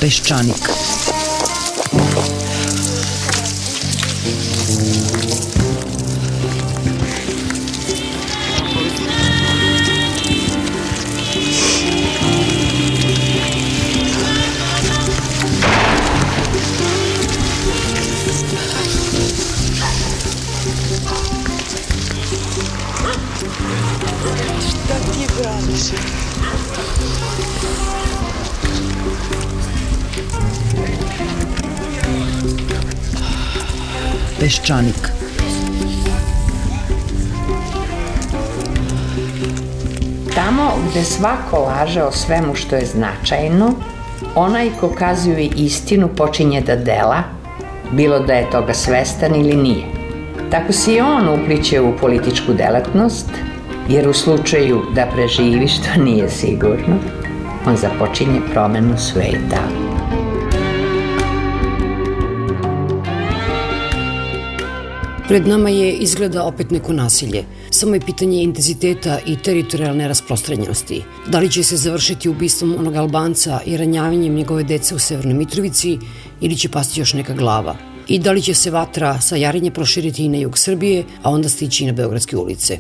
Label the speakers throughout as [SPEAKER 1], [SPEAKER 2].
[SPEAKER 1] Peščanik.
[SPEAKER 2] Šta ti braniš?
[SPEAKER 1] Peščanik.
[SPEAKER 3] Tamo gde svako laže o svemu što je značajno, onaj ko kazuje istinu počinje da dela, bilo da je toga svestan ili nije. Tako se i on upliće u političku delatnost, jer u slučaju da preživi, što nije sigurno, on započinje promenu sveta.
[SPEAKER 4] Pred nama je izgleda opet neko nasilje. Samo je pitanje intenziteta i teritorijalne rasprostranjenosti. Da li će se završiti ubistvom onog Albanca i ranjavanjem njegove dece u Severnoj Mitrovici ili će pasti još neka glava? I da li će se vatra sa Jarinje proširiti i na jug Srbije, a onda stići i na beogradske ulice?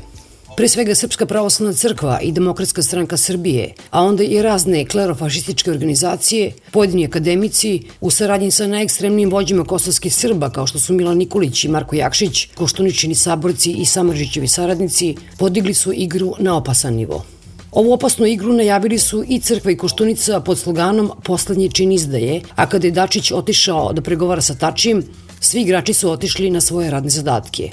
[SPEAKER 4] Pre svega Srpska pravoslavna crkva i Demokratska stranka Srbije, a onda i razne klerofašističke organizacije, pojedini akademici, u saradnji sa najekstremnijim vođima kosovskih Srba, kao što su Milan Nikolić i Marko Jakšić, Koštuničini saborci i Samardžićevi saradnici, podigli su igru na opasan nivo. Ovu opasnu igru najavili su i Crkva i Koštunica pod sloganom "Poslednji čin izdaje", a kada je Dačić otišao da pregovara sa Tačijem, svi igrači su otišli na svoje radne zadatke.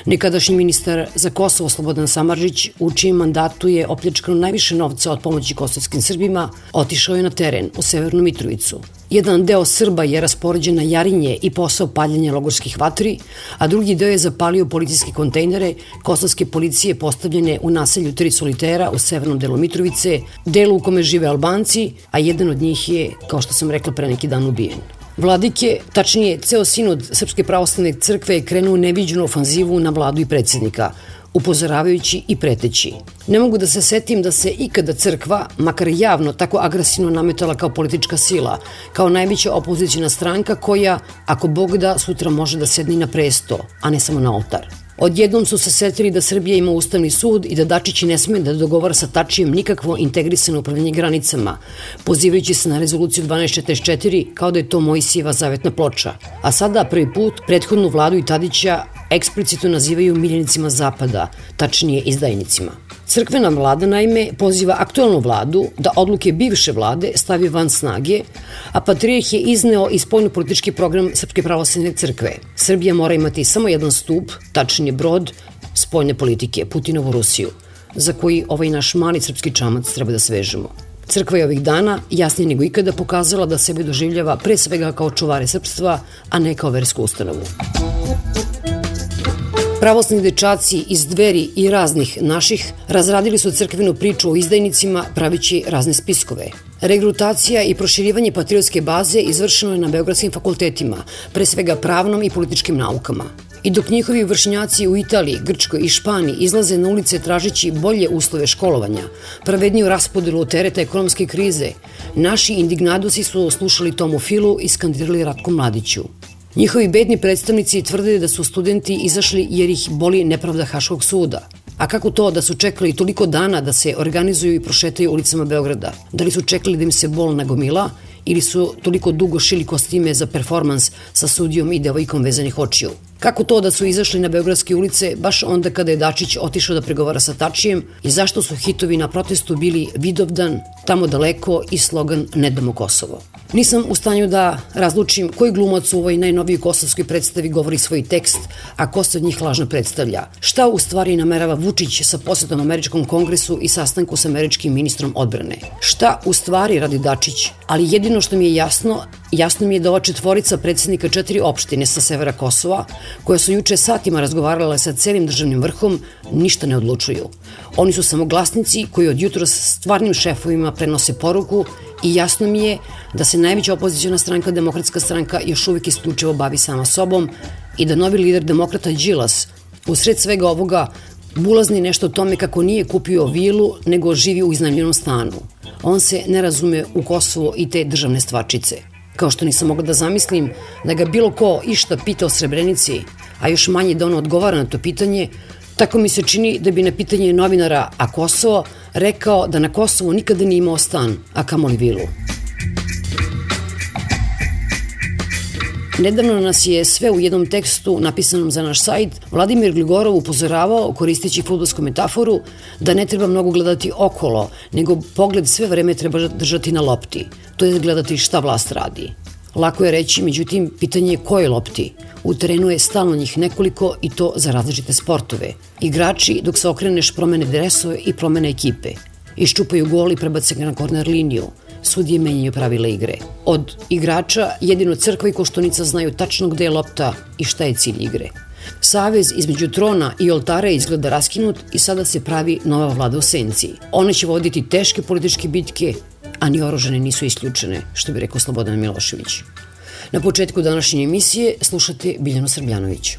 [SPEAKER 4] Nekadašnji ministar za Kosovo Slobodan Samardžić, u čijem mandatu je opljačkano najviše novca od pomoći kosovskim Srbima, otišao je na teren u Severnu Mitrovicu. Jedan deo Srba je raspoređen na Jarinje i posao paljenja logorskih vatri, a drugi deo je zapalio policijske kontejnere kosovske policije postavljene u naselju Tri solitera u severnom delu Mitrovice, delu u kome žive Albanci, a jedan od njih je, kao što sam rekla, pre neki dan ubijen. Vladike, tačnije ceo sinod Srpske pravoslavne crkve, je krenuo u neviđenu ofanzivu na vladu i predsjednika, upozoravajući i preteći. Ne mogu da se setim da se ikada crkva, makar javno, tako agresivno nametala kao politička sila, kao najveća opozicijna stranka koja, ako Bog da, sutra može da sedne na presto, a ne samo na oltar. Odjednom su se setili da Srbija ima ustavni sud i da Dačić ne sme da dogovara sa Tačijem nikakvo integrisano upravljanje granicama, pozivajući se na rezoluciju 1244 kao da je to Mojsijeva zavetna ploča. A sada prvi put prethodnu vladu i Tadića eksplicitno nazivaju miljenicima Zapada, tačnije izdajnicima. Crkvena vlada, naime, poziva aktualnu vladu da odluke bivše vlade stavi van snage, a patrijarh je izneo i spoljnopolitički program Srpske pravoslavne crkve. Srbija mora imati samo jedan stup, tačnije brod, spoljne politike, Putinovu Rusiju, za koji ovaj naš mali srpski čamac treba da svežemo. Crkva je ovih dana jasnije nego ikada pokazala da sebe doživljava pre svega kao čuvare srpstva, a ne kao versku ustanovu. Pravoslavni dečaci iz Dveri i raznih naših razradili su crkvenu priču o izdajnicima pravići razne spiskove. Regrutacija i proširivanje patriotske baze izvršeno je na beogradskim fakultetima, pre svega pravnom i političkim naukama. I dok njihovi vršnjaci u Italiji, Grčkoj i Španiji izlaze na ulice tražeći bolje uslove školovanja, pravedniju raspodelu tereta ekonomske krize, naši indignadosi su slušali Tomu Filu i skandirali Ratku Mladiću. Njihovi bedni predstavnici tvrde da su studenti izašli jer ih boli nepravda Haškog suda. A kako to da su čekali toliko dana da se organizuju i prošetaju ulicama Beograda? Da li su čekali da im se bol nagomila ili su toliko dugo šili kostime za performans sa sudijom i devojkom vezanih očiju? Kako to da su izašli na beogradske ulice baš onda kada je Dačić otišao da pregovara sa Tačijem i zašto su hitovi na protestu bili Vidovdan, Tamo daleko i slogan Ne damo Kosovo? Nisam u stanju da razlučim koji glumac u ovoj najnovijoj kosovskoj predstavi govori svoj tekst, a ko se od njih lažno predstavlja. Šta u stvari namerava Vučić sa posetom Američkom kongresu i sastanku sa američkim ministrom odbrane? Šta u stvari radi Dačić? Ali jedino što mi je jasno mi je da ova četvorica predsjednika 4 opštine sa severa Kosova, koje su juče satima razgovarale sa celim državnim vrhom, ništa ne odlučuju. Oni su samo glasnici koji od jutros stvarnim šefovima prenose poruku i jasno mi je da se najveća opozicijona stranka, Demokratska stranka, još uvijek isključivo bavi sama sobom i da novi lider demokrata Đilas, usred svega ovoga, bulazni nešto o tome kako nije kupio vilu, nego živi u iznajmljenom stanu. On se ne razume u Kosovo i te državne stvarčice. Kao što nisam mogla da zamislim da ga bilo ko išta pita o Srebrenici, a još manje da on odgovara na to pitanje, tako mi se čini da bi na pitanje novinara "a Kosovo" rekao da na Kosovu nikada nije imao stan, a kamoli vilu. Nedavno nas je sve u jednom tekstu napisanom za naš sajt Vladimir Gligorov upozoravao, koristeći fudbalsku metaforu, da ne treba mnogo gledati okolo, nego pogled sve vreme treba držati na lopti, to je gledati šta vlast radi. Lako je reći, međutim, pitanje je koje lopti. U terenu je stalno njih nekoliko i to za različite sportove. Igrači, dok se okreneš, promene dresove i promene ekipe. Iščupaju gol i prebace ga na korner liniju. Sudije menjaju pravila igre. Od igrača jedino Crkva i Koštunica znaju tačno gde je lopta i šta je cilj igre. Savez između trona i oltara je izgleda raskinut i sada se pravi nova vlada u senci. One će voditi teške političke bitke, a ni oružane nisu isključene, što bi rekao Slobodan Milošević. Na početku današnje emisije slušate Biljanu Srbljanović.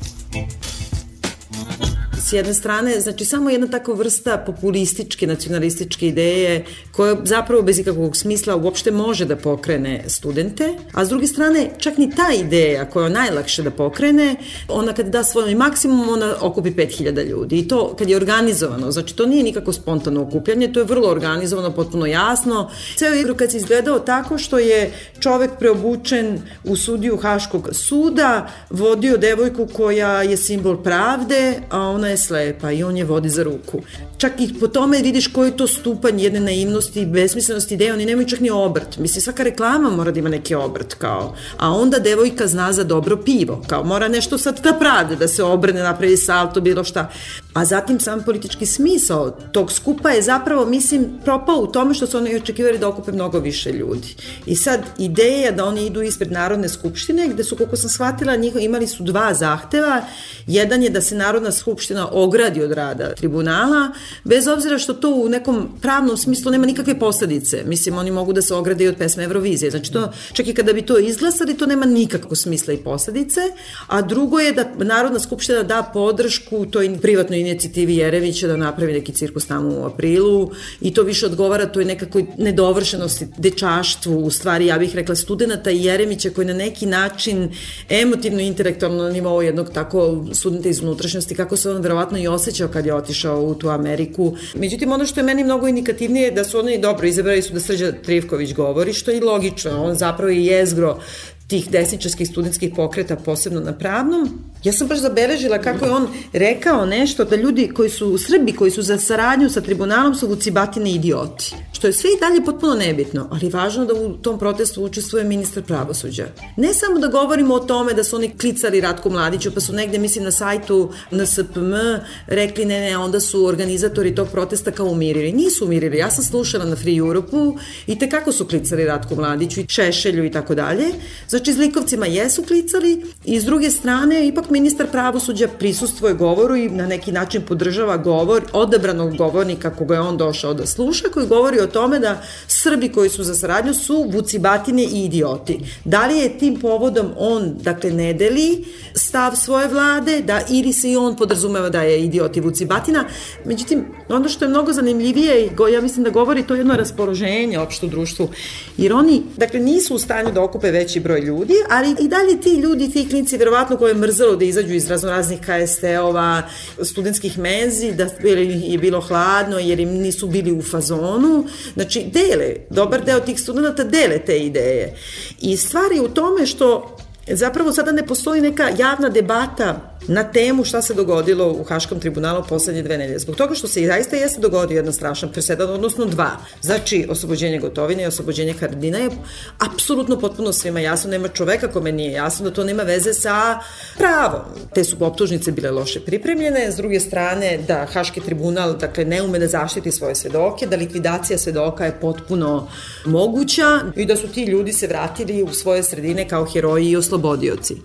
[SPEAKER 1] S jedne strane, znači samo jedna takva vrsta populističke, nacionalističke ideje koja zapravo bez ikakvog smisla uopšte može da pokrene studente, a s druge strane čak ni ta ideja koja je najlakše da pokrene, ona kad da svoj maksimum, ona okupi 5000 ljudi i to kad je organizovano, znači to nije nikako spontano okupljanje, to je vrlo organizovano, potpuno jasno. Ceo igrokaz je izgledao tako što je čovek preobučen u sudiju Haškog suda, vodio devojku koja je simbol pravde, a ona je slepa i on je vodi za ruku. Čak i po tome vidiš koji je to stupanj jedne naivnosti i besmislenosti ideje, oni nemaju čak ni obrt. Mislim, svaka reklama mora da ima neki obrt, kao. A onda devojka zna za dobro pivo, kao mora nešto sad da pravde, da se obrne, napravi salto, bilo šta. A zatim sam politički smisao tog skupa je zapravo, mislim, propao u tome što su oni očekivali da okupe mnogo više ljudi. I sad ideja da oni idu ispred Narodne skupštine, gde su, koliko sam shvatila, imali su 2 zahteva. Jedan je da se Narodna skupština ogradi od rada tribunala, bez obzira što to u nekom pravnom smislu nema nikakve posledice. Mislim, oni mogu da se ograde i od pesme Eurovizije. Znači, to, čak i kada bi to izglasali, to nema nikakvog smisla i posledice. A drugo je da Narodna skupština da podršku toj privatnoj inicijativi Jeremića da napravi neki cirkus tamo u aprilu i to više odgovara toj nekakvoj nedovršenosti, dečaštvu, u stvari, ja bih rekla, studenta i Jeremića koji na neki način emotivno i intelektualno na nivou jednog tako studenta iz unutrašnjosti, kako se on verovatno i osjećao kad je otišao u tu Ameriku. Međutim, ono što je meni mnogo indikativnije je da su oni dobro izabrali su da Srđan Trivković govori, što je i logično, on zapravo i jezgro tih desničarskih studentskih pokreta, posebno na pravnom. Ja sam baš zabeležila kako je on rekao nešto da ljudi koji su Srbi, koji su za saradnju sa tribunalom su vucibatine idioti. Što je sve i dalje potpuno nebitno, ali važno da u tom protestu učestvuje ministar pravosuđa. Ne samo da govorimo o tome da su oni klicali Ratku Mladiću, pa su negde, mislim, na sajtu NSPM rekli ne, onda su organizatori tog protesta kao umirili. Nisu umirili, ja sam slušala na Free Europe-u i tekako su klicali Ratku Mladiću i Šešelju i tako dalje. Znači, zlikovcima jesu klicali i s druge strane, ipak ministar pravosuđa prisustvuje govoru i na neki način podržava govor odabranog govornika koga je on došao da sluša, koji govori o tome da Srbi koji su za saradnju su vucibatine i idioti. Da li je tim povodom on, dakle, ne deli stav svoje vlade, da ili se i on podrazumeva da je idiot i vucibatina. Međutim, ono što je mnogo zanimljivije, ja mislim da govori to jedno raspoloženje opšte u društvu, jer oni, dakle, nisu u stanju da okupe veći broj ljudi, ali i dalje ti ljudi, ti klinci, verovatno koje je mrzelo da izađu iz raznoraznih KST-ova, studentskih menzi, da je bilo hladno jer im nisu bili u fazonu. Znači, dele, dobar deo tih studenta dele te ideje. I stvar je u tome što zapravo sada ne postoji neka javna debata na temu šta se dogodilo u Haškom tribunalu poslednje 2 nedelje. Zbog toga što se zaista jeste dogodio jedan strašan presedan, odnosno 2. Znači, oslobođenje Gotovine i oslobođenje Haradina je apsolutno potpuno svima jasno. Nema čoveka kome nije jasno da to nema veze sa pravom. Te su optužnice bile loše pripremljene, s druge strane da Haški tribunal, dakle, ne ume da zaštiti svoje svedoke, da likvidacija svedoka je potpuno moguća i da su ti ljudi se vratili u svoje sredine kao heroji i oslobodili oslobodioci.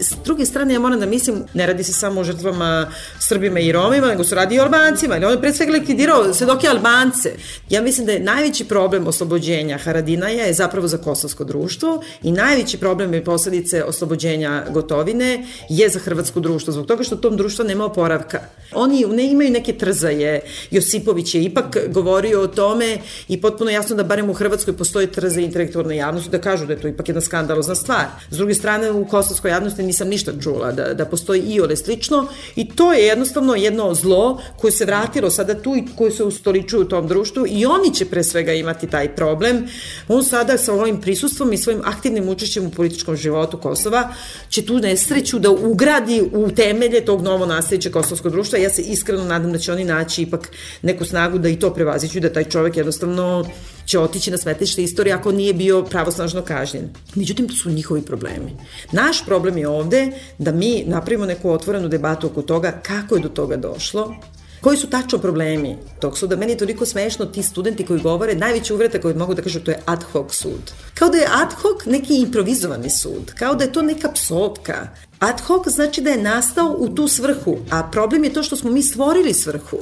[SPEAKER 1] S druge strane, ja moram da mislim, ne radi se samo o žrtvama Srbima i Romima, nego se radi i o Albancima, ili on je pre svega likvidirao svedoke Albance. Ja mislim da je najveći problem oslobođenja Haradinaja je zapravo za kosovsko društvo i najveći problem i posledice oslobođenja Gotovine je za hrvatsko društvo, zbog toga što tom društva nema oporavka. Oni ne imaju neke trzaje. Josipović je ipak govorio o tome i potpuno jasno da barem u Hrvatskoj postoji trzaje intelektualne javnosti, da kažu da je to ipak jedna skandalozna stvar. S druge strane, u kosovskoj javnosti nisam ništa čula da postoji iole slično i to je jednostavno jedno zlo koje se vratilo sada tu i koje se ustoličuju u tom društvu i oni će pre svega imati taj problem. On sada sa ovim prisustvom i svojim aktivnim učešćem u političkom životu Kosova će tu nesreću da ugradi u temelje tog novo nastajećeg kosovskog društva. Ja se iskreno nadam da će oni naći ipak neku snagu da i to prevaziću, da taj čovek jednostavno će otići na smetlište istorije ako nije bio pravosnažno kažnjen. Međutim, to su njihovi problemi. Naš problem je ovde da mi napravimo neku otvorenu debatu oko toga kako je do toga došlo, koji su tačno problemi tog suda. Meni je toliko smešno ti studenti koji govore, najveća uvreda koju mogu da kažu, to je ad hoc sud. Kao da je ad hoc neki improvizovani sud, kao da je to neka psovka. Ad hoc znači da je nastao u tu svrhu, a problem je to što smo mi stvorili svrhu.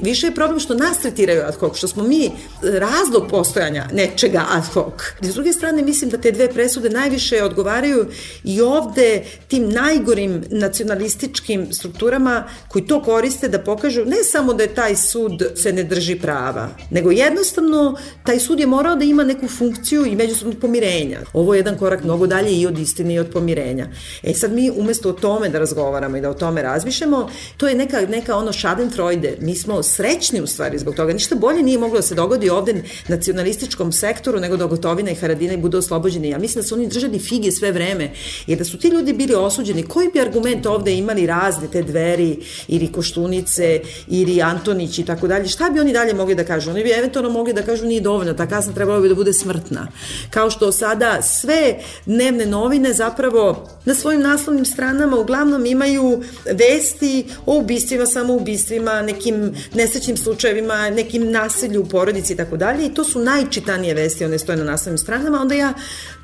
[SPEAKER 1] Više je problem što nas tretiraju ad hoc, što smo mi razlog postojanja nečega ad hoc. S druge strane, mislim da te dve presude najviše odgovaraju i ovde tim najgorim nacionalističkim strukturama koji to koriste da pokažu ne samo da je taj sud se ne drži prava, nego jednostavno taj sud je morao da ima neku funkciju i međusobnog pomirenja. Ovo je jedan korak mnogo dalje i od istine i od pomirenja. Sad mi umesto o tome da razgovaramo i da o tome razmišljamo, to je neka ono schadenfreude. Mi smo srećni u stvari zbog toga. Ništa bolje nije moglo da se dogodi ovde nacionalističkom sektoru nego da Gotovina i Haradinaj budu oslobođeni. Ja mislim da su oni držali fige sve vreme jer da su ti ljudi bili osuđeni, koji bi argument ovde imali razne te Dveri ili Koštunice ili Antonić i tako dalje, šta bi oni dalje mogli da kažu? Oni bi eventualno mogli da kažu nije dovoljno, ta kazna trebala bi da bude smrtna. Kao što sada sve dnevne novine zapravo na svojim naslovnim stranama uglavnom imaju vesti o ubistvima, samoubistvima, nekim nesrećnim slučajevima, nekim nasilju u porodici i tako dalje i to su najčitanije vesti, one stoje na naslovnim stranama, onda ja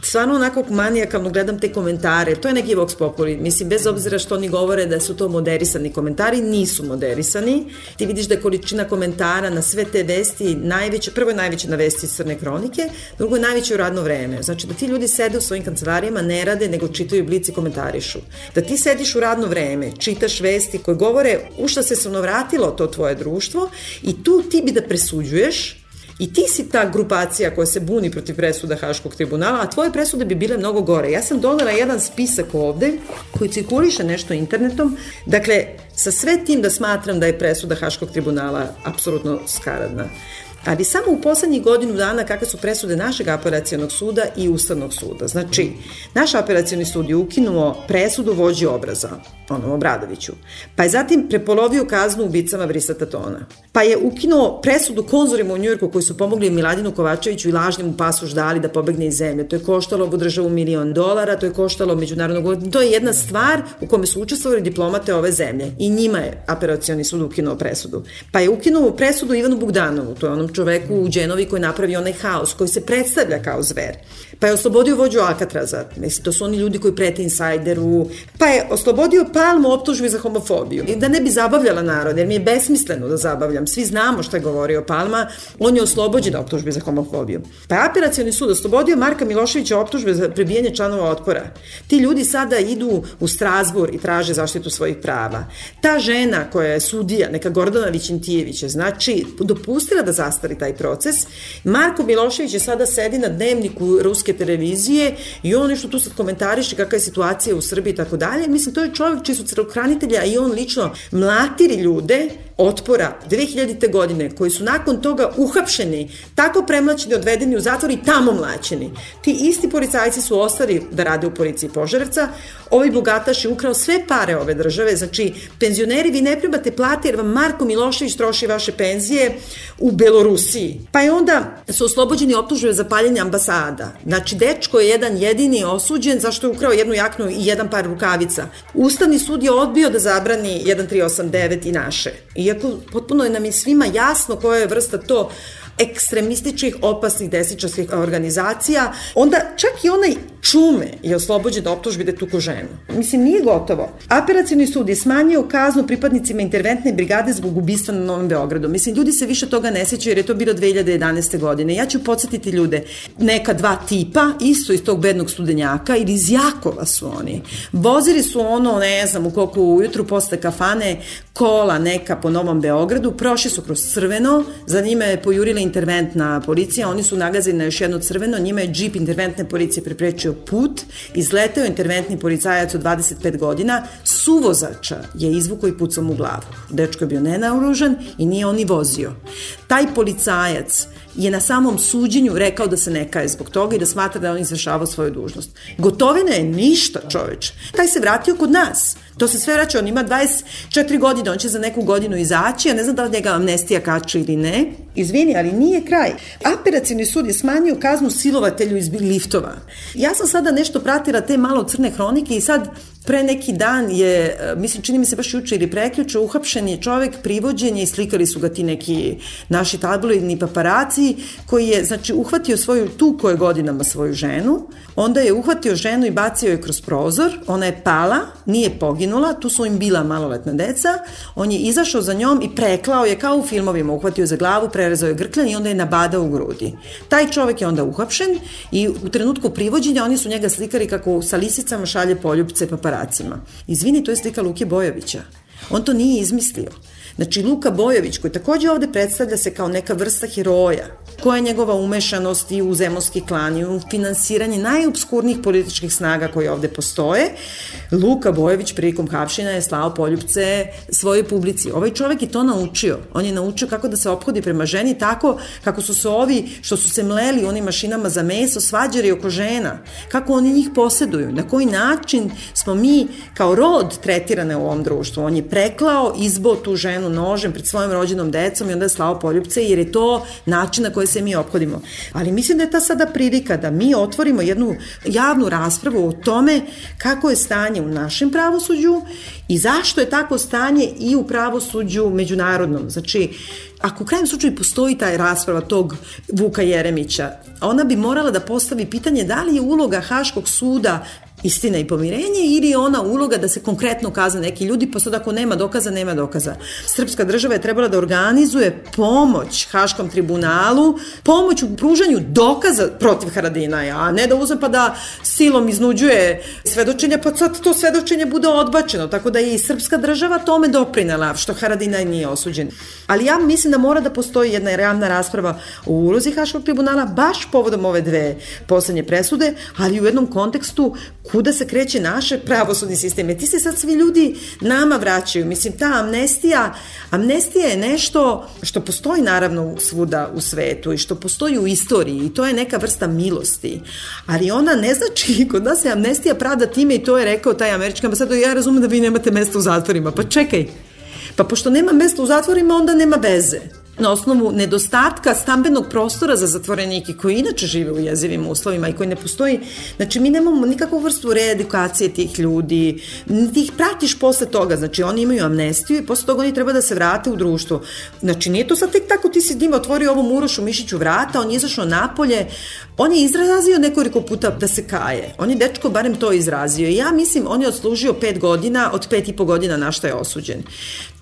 [SPEAKER 1] stvarno onako manijakalno gledam te komentare, to je neki vox populi, mislim bez obzira što oni govore da su to moderisani komentari, nisu moderisani, ti vidiš da je količina komentara na sve te vesti najveća, prvo je najveća na vesti iz Crne kronike, drugo je najveće u radno vreme, znači da ti ljudi sede u svojim kancelarijama, ne rade, nego čitaju Blic i komentarišu. Da ti sediš u radno vreme, čitaš vesti koje govore u šta se vratilo to tvoje društvo i tu ti bi da presuđuješ i ti si ta grupacija koja se buni protiv presuda Haškog tribunala, a tvoje presude bi bile mnogo gore. Ja sam donela jedan spisak ovde koji cirkuliše nešto internetom, dakle, sa sve tim da smatram da je presuda Haškog tribunala apsolutno skaradna. Ali samo u poslednjih godinu dana kakve su presude našeg apelacionog suda i Ustavnog suda. Znači, naš apelacioni sud je ukinuo presudu vođi obraza, onom Obradoviću, pa je zatim prepolovio kaznu ubicama Brisata Tona, pa je ukinuo presudu konzorima u Njujorku koji su pomogli Miladinu Kovačeviću i lažnim mu pasoš dali da pobegne iz zemlje. To je koštalo ovu državu $1 milion, to je koštalo međunarodnog... To je jedna stvar u kome su učestvovali diplomate ove zemlje i njima je apelacioni sud ukinuo presudu. Pa je ukinuo presudu Ivanu Bogdanovu, to je onom čoveku u Đenovi koji napravi onaj haos, koji se predstavlja kao zver. Pa je oslobodio vođu Alcatraza, mislim, to su oni ljudi koji prete insajderu, pa je oslobodio Palmu optužbi za homofobiju. I da ne bi zabavljala narod, jer mi je besmisleno da zabavljam, svi znamo šta je govorio Palma, on je oslobođen optužbi za homofobiju. Pa je apelacioni sud oslobodio Marka Miloševića optužbe za prebijanje članova Otpora. Ti ljudi sada idu u Strazbur i traže zaštitu svojih prava. Ta žena koja je sudija, neka Gordana Vićentijević, znači dopustila da zastari taj proces. Marko Milošević je sada sedi na dnevniku ruske televizije i on nešto tu sad komentariše kakva je situacija u Srbiji i tako dalje. Mislim, to je čovjek čiji su crnohranitelja i on lično mlatiri ljude Otpora 2000. godine koji su nakon toga uhapšeni, tako premlaćeni, odvedeni u zatvor i tamo mlaćeni. Ti isti policajci su ostali da rade u policiji Požarevca. Ovaj bogataš je ukrao sve pare ove države, znači penzioneri vi ne primate plate jer vam Marko Milošević troši vaše penzije u Belorusiji. Pa je onda su oslobođeni optužbe za paljenje ambasada. Znači dečko je jedan jedini osuđen zašto je ukrao jednu jaknu i jedan par rukavica. Ustavni sud je odbio da zabrani 1389 i naše. Iako potpuno je nam i svima jasno koja je vrsta to ekstremističkih, opasnih desničarskih organizacija, onda čak i onaj Čume je oslobođen optužbi da je tuko ženu. Mislim, nije gotovo. Apelacioni sud je smanjio kaznu pripadnicima interventne brigade zbog ubistva na Novom Beogradu. Mislim, ljudi se više toga ne sećaju jer je to bilo 2011. godine. Ja ću podsjetiti ljude, neka dva tipa, isto iz tog bednog studenjaka ili iz Jakova su oni. Vozili su ono, ne znam, u koliko ujutru posle kafane, kola neka po Novom Beogradu, prošli su kroz crveno, za njima je pojurila interventna policija, oni su nagazili na još jedno crveno, njima je džip interventne policije preprečio put, izleteo interventni policajac od 25 godina, suvozača je izvukao i pucao mu u glavu. Dečko je bio nenaoružan i nije on i vozio. Taj policajac je na samom suđenju rekao da se ne kaje zbog toga i da smatra da on izvršavao svoju dužnost. Gotovina je ništa, čoveč. Taj se vratio kod nas. To se sve vraća, on ima 24 godine, on će za neku godinu izaći, ja ne znam da li njega amnestija kače ili ne. Izvini, ali nije kraj. Apelacioni sud je smanjio kaznu silovatelju iz liftova. Ja sam sada nešto pratila te malo crne hronike i sad pre neki dan je, mislim, čini mi se baš juče ili prekjuče, uhapšen je čovek, privođen je i slikali su ga ti neki naši tabloidni paparaci, koji je, znači, uhvatio tuko je godinama svoju ženu, onda je uhvatio ženu i bacio je kroz prozor, ona je pala, nije poginula, tu su im bila maloletna deca, on je izašao za njom i preklao je kao u filmovima, uhvatio za glavu, prerezao je grkljan i onda je nabadao u grudi. Taj čovek je onda uhapšen i u trenutku privođenja oni su njega slikali kako sa lisicama šalje poljupce paparacima. Izvini, to je slika Luke Bojovića. On to nije izmislio. Znači, Luka Bojović, koji takođe ovde predstavlja se kao neka vrsta heroja, koja je njegova umešanost i u zemunski klan i u finansiranje najobskurnijih političkih snaga koje ovde postoje, Luka Bojović prilikom hapšenja je slao poljupce svojoj publici. Ovaj čovek je to naučio. On je naučio kako da se ophodi prema ženi tako kako su se ovi što su se mleli onim mašinama za meso svađali oko žena. Kako oni njih poseduju. Na koji način smo mi kao rod tretirane u ovom društvu. On je preklao, izbao tu ženu nožem pred svojim rođenom decom i onda je slao poljupce jer je to način na koji se mi ophodimo. Ali mislim da je ta sada prilika da mi otvorimo jednu javnu raspravu o tome kako je stanje u našem pravosuđu i zašto je tako stanje i u pravosuđu međunarodnom. Znači, ako u krajem slučaju postoji taj rasprava tog Vuka Jeremića, ona bi morala da postavi pitanje da li je uloga Haškog suda istina i pomirenje ili je ona uloga da se konkretno kazne neki ljudi, pa sad ako nema dokaza, nema dokaza. Srpska država je trebala da organizuje pomoć Haškom tribunalu, pomoć u pružanju dokaza protiv Haradinaja, a ne da uzme pa da silom iznuđuje svedočenja, pa sad to svedočenje bude odbačeno, tako da je i srpska država tome doprinela, što Haradinaj nije osuđen. Ali ja mislim da mora da postoji jedna javna rasprava o ulozi Haškog tribunala, baš povodom ove dve poslednje presude, ali u jednom kontekstu kuda se kreće naše pravosudni sistem. Ti se sad svi ljudi nama vraćaju. Mislim, ta amnestija je nešto što postoji naravno svuda u svetu i što postoji u istoriji i to je neka vrsta milosti. Ali ona ne znači, kod nas je amnestija pravda time i to je rekao taj američki ambasador, ja razumem da vi nemate mesta u zatvorima. Pa čekaj, pa pošto nema mesta u zatvorima, onda nema veze. Na osnovu nedostatka stambenog prostora za zatvorenike koji inače žive u jezivim uslovima i koji ne postoji, znači mi nemamo nikakvu vrstu reedukacije tih ljudi, ti ih pratiš posle toga, znači oni imaju amnestiju i posle toga oni treba da se vrate u društvo. Znači nije to sad tek tako ti si njima otvorio ovom Urošu Mišiću vrata, on je izašao napolje, on je izrazio nekoliko puta da se kaje, on je dečko barem to izrazio i ja mislim on je odslužio 5 godina, od 5,5 godina na šta je osuđen.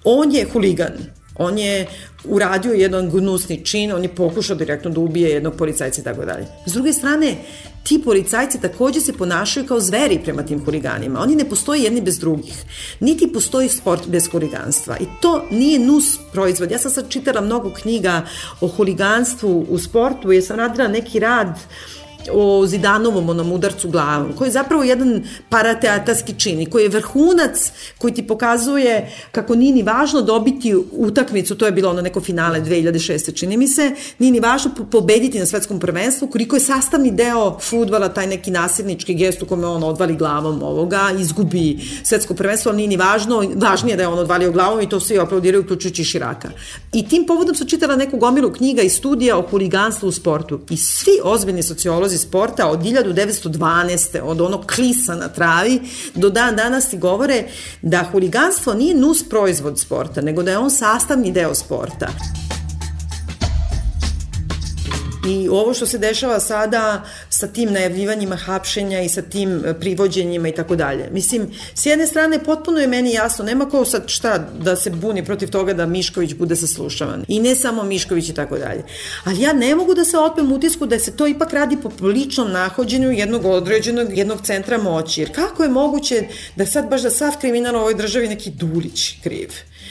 [SPEAKER 1] On je huligan. On je uradio jedan gnusni čin, on je pokušao direktno da ubije jednog policajca i tako dalje. S druge strane, ti policajci takođe se ponašaju kao zveri prema tim huliganima. Oni ne postoje jedni bez drugih. Niti postoji sport bez huliganstva. I to nije nus proizvod. Ja sam sad čitala mnogo knjiga o huliganstvu u sportu jer sam radila neki rad o Zidanovom onom udarcu glavom, koji je zapravo jedan parateatarski čin i koji je vrhunac koji ti pokazuje kako nije ni važno dobiti utakmicu, to je bilo ono neko finale 2006. čini mi se, nije ni važno pobediti na svetskom prvenstvu, koliko je sastavni deo fudbala taj neki nasilnički gest u kome on odvali glavom ovoga, izgubi svetsko prvenstvo, ali nije ni važno, važnije da je on odvalio glavom i to svi aplaudiraju uključujući Širaka. I tim povodom sam čitala neku gomilu knjiga i studija o huliganstvu u sportu i svi ozbiljni sociolozi sporta od 1912. od onog klisa na travi do dan danas ti govore da huliganstvo nije nus proizvod sporta, nego da je on sastavni deo sporta. I ovo što se dešava sada sa tim najavljivanjima hapšenja i sa tim privođenjima i tako dalje. Mislim, s jedne strane potpuno je meni jasno, nema ko sad šta da se buni protiv toga da Mišković bude saslušavan. I ne samo Mišković i tako dalje. Ali ja ne mogu da se otmem utisku da se to ipak radi po ličnom nahođenju jednog centra moći. Jer kako je moguće da sad baš da sav kriminal u ovoj državi neki Dulić kriv?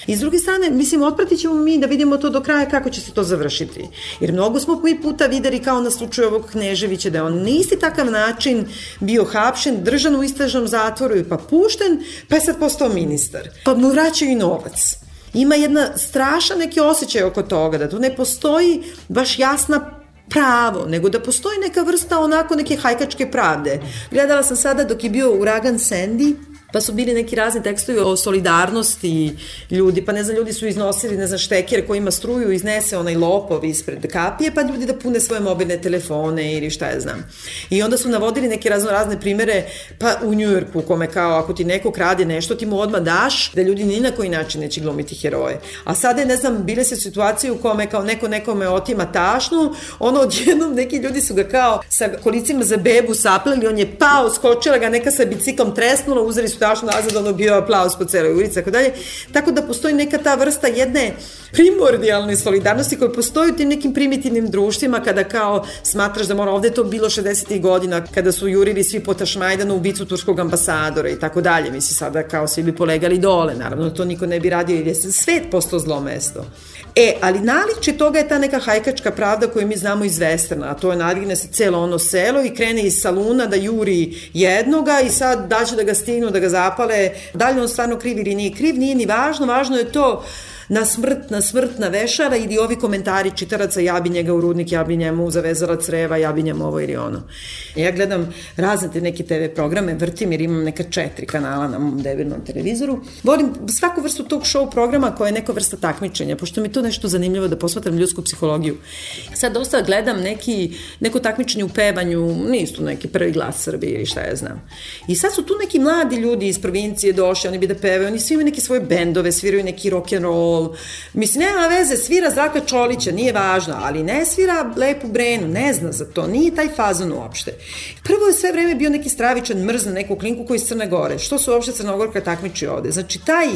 [SPEAKER 1] I s druge strane, mislim, otpratit ćemo mi da vidimo to do kraja kako će se to završiti. Jer mnogo smo mi puta videli kao na slučaju ovog Kneževića da je on na isti takav način bio hapšen, držan u istražnom zatvoru i pa pušten, pa je sad postao ministar. Pa mu vraćaju i novac. Ima jedna strašan neki osjećaj oko toga, da tu ne postoji baš jasna pravo, nego da postoji neka vrsta onako neke hajkačke pravde. Gledala sam sada dok je bio uragan Sandy, pa su bili neki razni tekstovi o solidarnosti ljudi, pa ne znam, ljudi su iznosili, ne znam, šteker koji ima struju, iznese onaj lopov ispred kapije, pa ljudi da pune svoje mobilne telefone ili šta ja znam. I onda su navodili neke razne primere, pa u Njujorku, u kome kao ako ti neko krade nešto, ti mu odmah daš, da ljudi ni na koji način neće glumiti heroje. A sada je, ne znam, bile se situacije u kome kao neko nekome otima tašnu, ono odjednom neki ljudi su ga kao sa kolicima za bebu sapleli, on je pao, skočila ga neka sa biciklom tresnula, uzeli su tašno nazad, ono bio aplauz po celoj ulici, tako dalje. Tako da postoji neka ta vrsta jedne primordijalne solidarnosti koja postoji u tim nekim primitivnim društvima kada kao smatraš da mora, ovde je to bilo 60. godina kada su jurili svi po Tašmajdanu ubicu turskog ambasadora i tako dalje. Misli sada kao svi bi polegali dole, naravno to niko ne bi radio jer je svet postao zlo mesto. Ali naličje toga je ta neka hajkačka pravda koju mi znamo iz Westerna, a to je nadigne se celo ono selo i krene iz saluna da juri jednoga i sad daće da ga stignu, da ga zapale, da li on stvarno kriv ili nije kriv, nije ni važno, važno je to na smrt, na vešara ili ovi komentari čitaraca, ja bi njega u rudnik, ja bi njemu zavezala creva, ja bi njemu ovo ili ono. Ja gledam razne te neke TV programe, vrtim jer imam neka 4 kanala na mom debilnom televizoru. Volim svaku vrstu tog show programa koja je neka vrsta takmičenja, pošto mi je to nešto zanimljivo da posmatram ljudsku psihologiju. Sad dosta gledam neko takmičenje u pevanju, nisu tu neki Prvi glas Srbije ili šta ja znam. I sad su tu neki mladi ljudi iz provincije došli, oni bi da pevaju, oni svi imaju neke svoje bendove, sviraju neki rock'n'roll. Mislim, nema veze, svira Zdravka Čolića, nije važno, ali ne svira Lepu Brenu, ne zna za to, nije taj fazon uopšte. Prvo je sve vreme bio neki stravičan mrz na neku klinku koji iz Crne Gore. Što su uopšte Crnogorka takmiči ovde? Znači, taj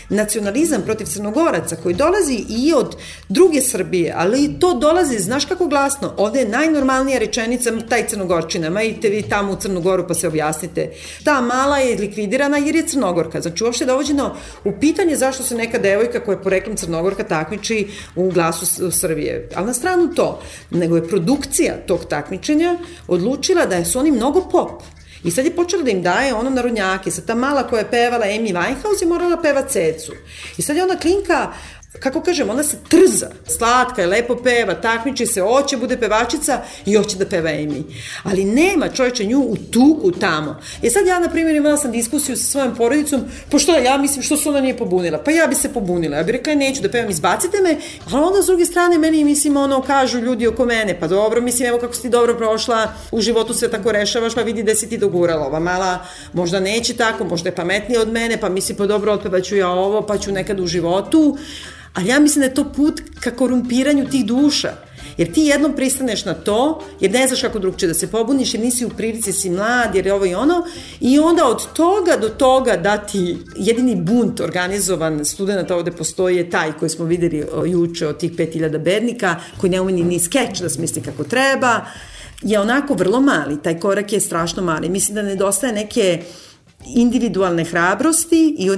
[SPEAKER 1] nacionalizam protiv Crnogoraca koji dolazi i od druge Srbije, ali to dolazi, znaš kako glasno, ovde je najnormalnija rečenica taj Crnogorčina, ma idite vi tamo u Crnu Goru pa se objasnite. Ta mala je likvidirana jer je Crnogorka. Znači, uopšte dovođeno u pitanje zašto se neka devojka koja je poreklom Crnogorka takmiči u Glasu Srbije. Ali na stranu to, nego je produkcija tog takmičenja odlučila da su oni mnogo pop. I sad je počela da im daje ono narodnjake. Sad ta mala koja je pevala Amy Winehouse je morala peva Cecu. I sad je ona klinka, kako kažem, ona se trza, slatka je, lepo peva, takmiči se, hoće bude pevačica i hoće da peva Amy. Ali nema čovječe nju u tuku tamo. Sad ja, na primjer, imala sam diskusiju sa svojom porodicom, pošto ja mislim što se ona nije pobunila. Pa ja bi se pobunila, ja bih rekla neću da pevam, izbacite me, ali onda s druge strane meni, mislim, kažu ljudi oko mene, pa dobro, mislim, evo kako si ti dobro prošla, u životu sve tako rešavaš, pa vidi da si ti dogurala. Ova mala možda neće tako, možda je pametnija od mene, pa mislim, pa dobro, otpevaću ja ovo, pa ću nekad u životu. Ali ja mislim da je to put ka korumpiranju tih duša. Jer ti jednom pristaneš na to, jer ne znaš kako drugčije da se pobuniš, jer nisi u prilici, si mlad, jer je ovo i ono, i onda od toga do toga da ti jedini bunt organizovan studenta ovde postoji je taj koji smo videli juče od tih 5000 bednika, koji ne umeni ni skeč da smisli kako treba, je onako vrlo mali, taj korak je strašno mali. Mislim da nedostaje neke individualne hrabrosti i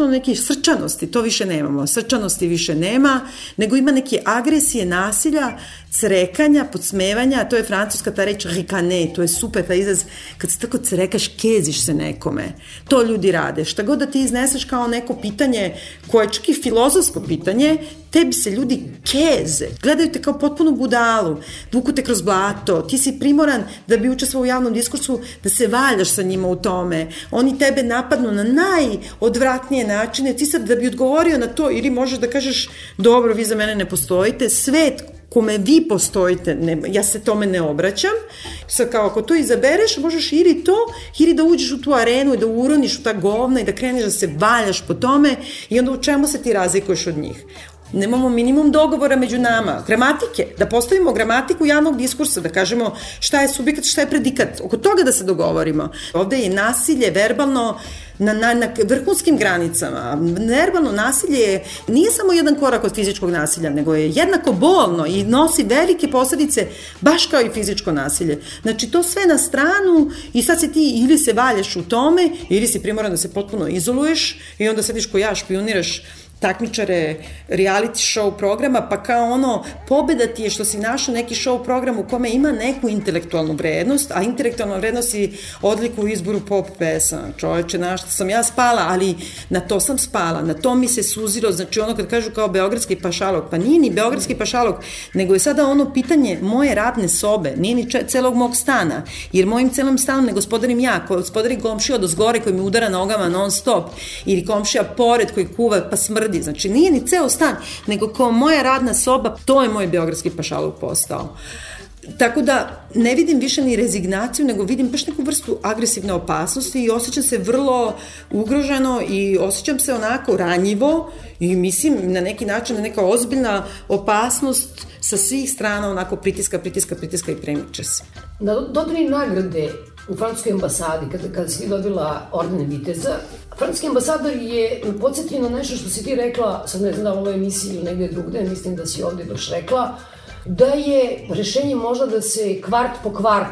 [SPEAKER 1] neke srčanosti, to više nemamo, srčanosti više nema, nego ima neke agresije, nasilja, crekanja, podsmevanja, to je francuska ta reč ricane, to je super taj izraz, kad se tako crekaš, keziš se nekome, to ljudi rade, šta god da ti izneseš kao neko pitanje, koje je čak i filozofsko pitanje, tebi se ljudi keze, gledaju te kao potpunu budalu, vuku te kroz blato, ti si primoran da bi učestvovao u javnom diskursu, da se valjaš sa njima u tome, oni tebe napadnu na najodvratnije načine, ti sad da bi odgovorio na to, ili možeš da kažeš, dobro, vi za mene ne postojite, svet kome vi postojite, ja se tome ne obraćam, sad kao ako to izabereš, možeš ili da uđeš u tu arenu i da uroniš u ta govna i da kreneš da se valjaš po tome i onda u čemu se ti razlikuješ od njih? nemamo minimum dogovora među nama, gramatike, da postavimo gramatiku javnog diskursa, da kažemo šta je subjekat, šta je predikat, oko toga da se dogovorimo. Ovde je nasilje verbalno na vrhunskim granicama. Verbalno nasilje nije samo jedan korak od fizičkog nasilja, nego je jednako bolno i nosi velike posljedice baš kao i fizičko nasilje. Znači to sve na stranu i sad se ti ili se valjaš u tome ili si primoran da se potpuno izoluješ i onda sediš ko ja, špioniraš takmičare reality show programa, pa kao ono, pobeda ti je što si našao neki show program u kome ima neku intelektualnu vrednost, a intelektualna vrednost si odliku u izboru pop pesama. Čoveče, na što sam ja spala, ali na to sam spala, na to mi se suzilo, znači ono kad kažu kao beogradski pašalog, pa nije ni beogradski pašalog, nego je sada ono pitanje moje radne sobe, nije ni celog mog stana, jer mojim celim stanom ne gospodarim ja, gospodari komšija od zgore koji mi udara nogama non stop, ili komšija pored koji kuva pa smrdi. Znači nije ni ceo stan, nego kao moja radna soba, to je moj beogradski pašaluk postao. Tako da ne vidim više ni rezignaciju, nego vidim baš neku vrstu agresivne opasnosti i osjećam se vrlo ugroženo i osjećam se onako ranjivo i mislim na neki način neka ozbiljna opasnost sa svih strana onako pritiska i premiče se.
[SPEAKER 4] Na dodani nagrade u francuskoj ambasadi, kada si ti dobila ordene viteza, francuski ambasador je podsjetio na nešto što si ti rekla, sad ne znam da u ovoj emisiji ili negde drugde, mislim da si ovde baš rekla, da je rešenje možda da se kvart po kvart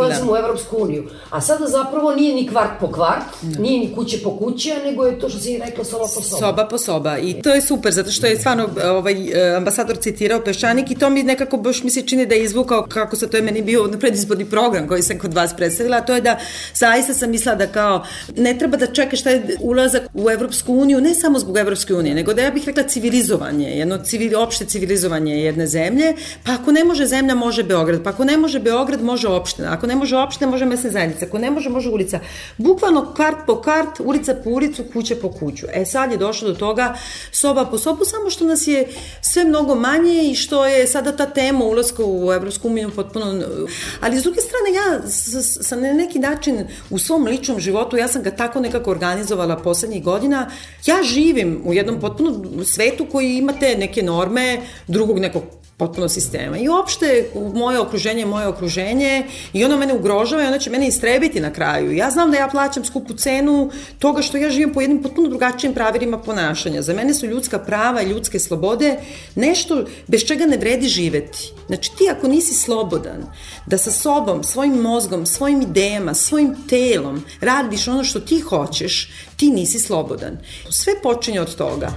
[SPEAKER 4] ulazimo u Evropsku uniju. A sada zapravo nije ni kvart po kvart, nije ni kuće po kuće, nego je to što si rekla soba po soba.
[SPEAKER 1] Soba po soba. I to je super, zato što je stvarno ambasador citirao Peščanik i to mi nekako baš mi se čini da je izvukao kako se to je meni bio predizborni program koji sam kod vas predstavila, a to je da zaista sam mislila da kao ne treba da čekaš šta je ulazak u Evropsku uniju, ne samo zbog Evropske unije, nego da ja bih rekla civilizovanje, jedno opšte civilizovanje jedne zemlje, pa ako ne može zemlja, može Beograd, pa ako ne može Beograd, može opština, ako ne može opština, može mesna zajednica, ako ne može, može ulica. Bukvalno kart po kart, ulica po ulicu, kuća po kuću. Sad je došlo do toga soba po sobu, samo što nas je sve mnogo manje i što je sada ta tema ulaska u Evropsku uniju potpuno... Ali s druge strane, ja sam na neki način u svom ličnom životu, ja sam ga tako nekako organizovala poslednjih godina, ja živim u jednom potpuno svetu koji imate neke norme drugog nekog potpuno sistema. I uopšte moje okruženje i ono mene ugrožava i ono će mene istrebiti na kraju. Ja znam da ja plaćam skupu cenu toga što ja živim po jednim potpuno drugačijim pravilima ponašanja. Za mene su ljudska prava i ljudske slobode nešto bez čega ne vredi živeti. Znači ti ako nisi slobodan da sa sobom, svojim mozgom, svojim idejama, svojim telom radiš ono što ti hoćeš, ti nisi slobodan. Sve počinje od toga.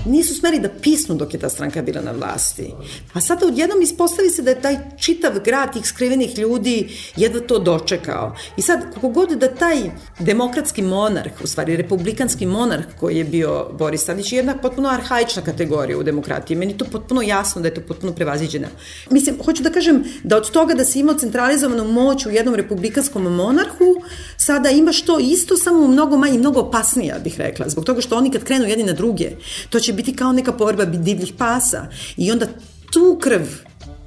[SPEAKER 1] Nisu smeli da pisnu dok je ta stranka bila na vlasti. A sada odjednom ispostavi se da je taj čitav grad tih skrivenih ljudi jedva to dočekao. I sad, kako god da taj demokratski monarh, u stvari republikanski monarh koji je bio Boris Tadić, je jedna potpuno arhaična kategorija u demokratiji. Meni je to potpuno jasno da je to potpuno prevaziđeno. Mislim, hoću da kažem da od toga da si imao centralizovanu moć u jednom republikanskom monarhu, sada imaš to isto, samo mnogo manje, mnogo opasnija, bih rekla. Zbog toga što oni kad krenu jedni na druge, to će biti kao neka povrba divljih pasa i onda tu krv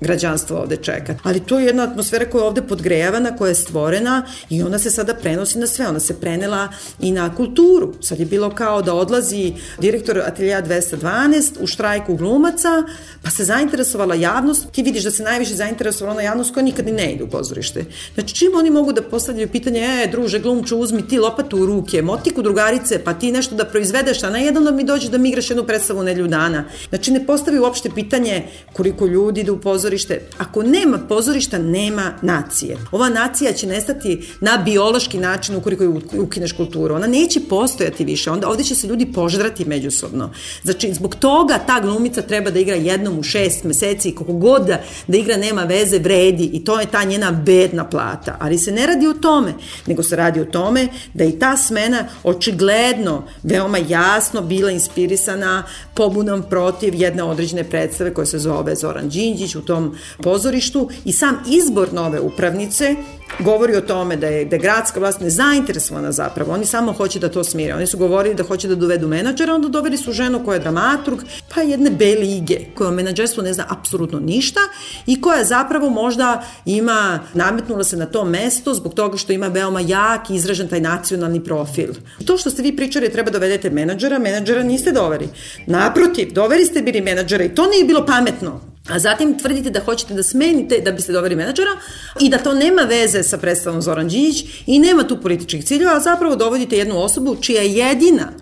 [SPEAKER 1] građanstvo ovde čeka. Ali to je jedna atmosfera koja je ovde podgrejavana, koja je stvorena i ona se sada prenosi na sve. Ona se prenela i na kulturu. Sad je bilo kao da odlazi direktor Ateljea 212 u štrajku glumaca, pa se zainteresovala javnost. Ti vidiš da se najviše zainteresovala ona javnost koja nikad ni ne ide u pozorište. Znači, čim oni mogu da postavljaju pitanje, druže, glumču, uzmi ti lopatu u ruke, motiku drugarice, pa ti nešto da proizvedeš, a na jedan da mi dođe da mi igraš jednu predstavu nedelju dana. Znači, ne postavi uopšte pitanje koliko ljudi ide u pozorište. Ako nema pozorišta, nema nacije. Ova nacija će nestati na biološki način ukoliko ukineš kulturu. Ona neće postojati više. Onda ovde će se ljudi požrati međusobno. Znači, zbog toga ta glumica treba da igra jednom u 6 meseci, kako god da igra nema veze, vredi i to je ta njena bedna plata. Ali se ne radi o tome, nego se radi o tome da i ta smena očigledno veoma jasno bila inspirisana pobunom protiv jedne određene predstave koja se zove Zoran Đinđić. U tom tom pozorištu i sam izbor nove upravnice govori o tome da je gradska vlast nezainteresovana zapravo. Oni samo hoće da to smire. Oni su govorili da hoće da dovedu menadžera, onda doveli su ženu koja je dramaturg, pa jedne B lige, koja o menadžerstvu ne zna apsolutno ništa i koja zapravo možda nametnula se na to mesto zbog toga što ima veoma jak i izražen taj nacionalni profil. To što ste vi pričali treba dovedete menadžera niste doveli. Naprotiv, doveli ste bili menadžera i to nije bilo pametno. A zatim tvrdite da hoćete da smenite da biste doveli menadžera i da to nema veze sa predstavom Zoran Đinđić i nema tu političkih ciljeva, a zapravo dovodite jednu osobu čija je jedina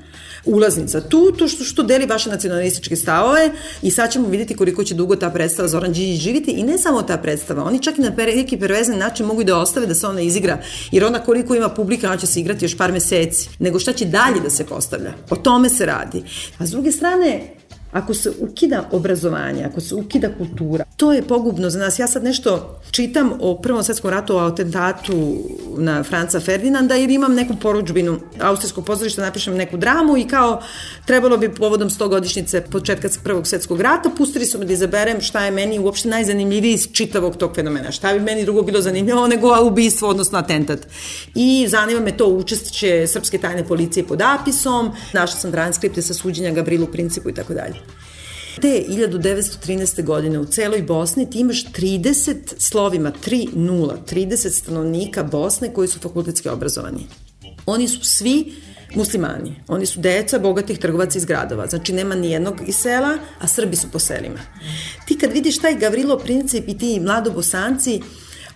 [SPEAKER 1] ulaznica tu, to što deli vaše nacionalističke stavove i sad ćemo vidjeti koliko će dugo ta predstava Zoran Đinđić živiti i ne samo ta predstava, oni čak i na neki pervezan način mogu i da ostave da se ona izigra, jer onda koliko ima publika, ona će se igrati još par meseci, nego šta će dalje da se postavlja. O tome se radi. A s druge strane, ako se ukida obrazovanje, ako se ukida kultura, to je pogubno za nas. Ja sad nešto čitam o Prvom svetskom ratu, o atentatu na Franca Ferdinanda, jer imam neku poručbinu Austrijskog pozorišta, napišem neku dramu i kao trebalo bi povodom 100-godišnjice početka Prvog svjetskog rata, pustili su me da izaberem šta je meni uopšte najzanimljiviji iz čitavog tog fenomena. Šta bi meni drugo bilo zanimljivo nego ubistvo, odnosno atentat. I zanima me to učešće srpske tajne policije pod APIS-om, našla sam transkripte sa suđenja Gavrilu Principu i tako dalje. Te 1913. godine u celoj Bosni ti imaš 30 slovima 30 stanovnika Bosne koji su fakultetski obrazovani. Oni su svi muslimani, oni su deca bogatih trgovaca iz gradova, znači nema nijednog iz sela, a Srbi su po selima. Ti kad vidiš taj Gavrilo Princip i ti mladobosanci,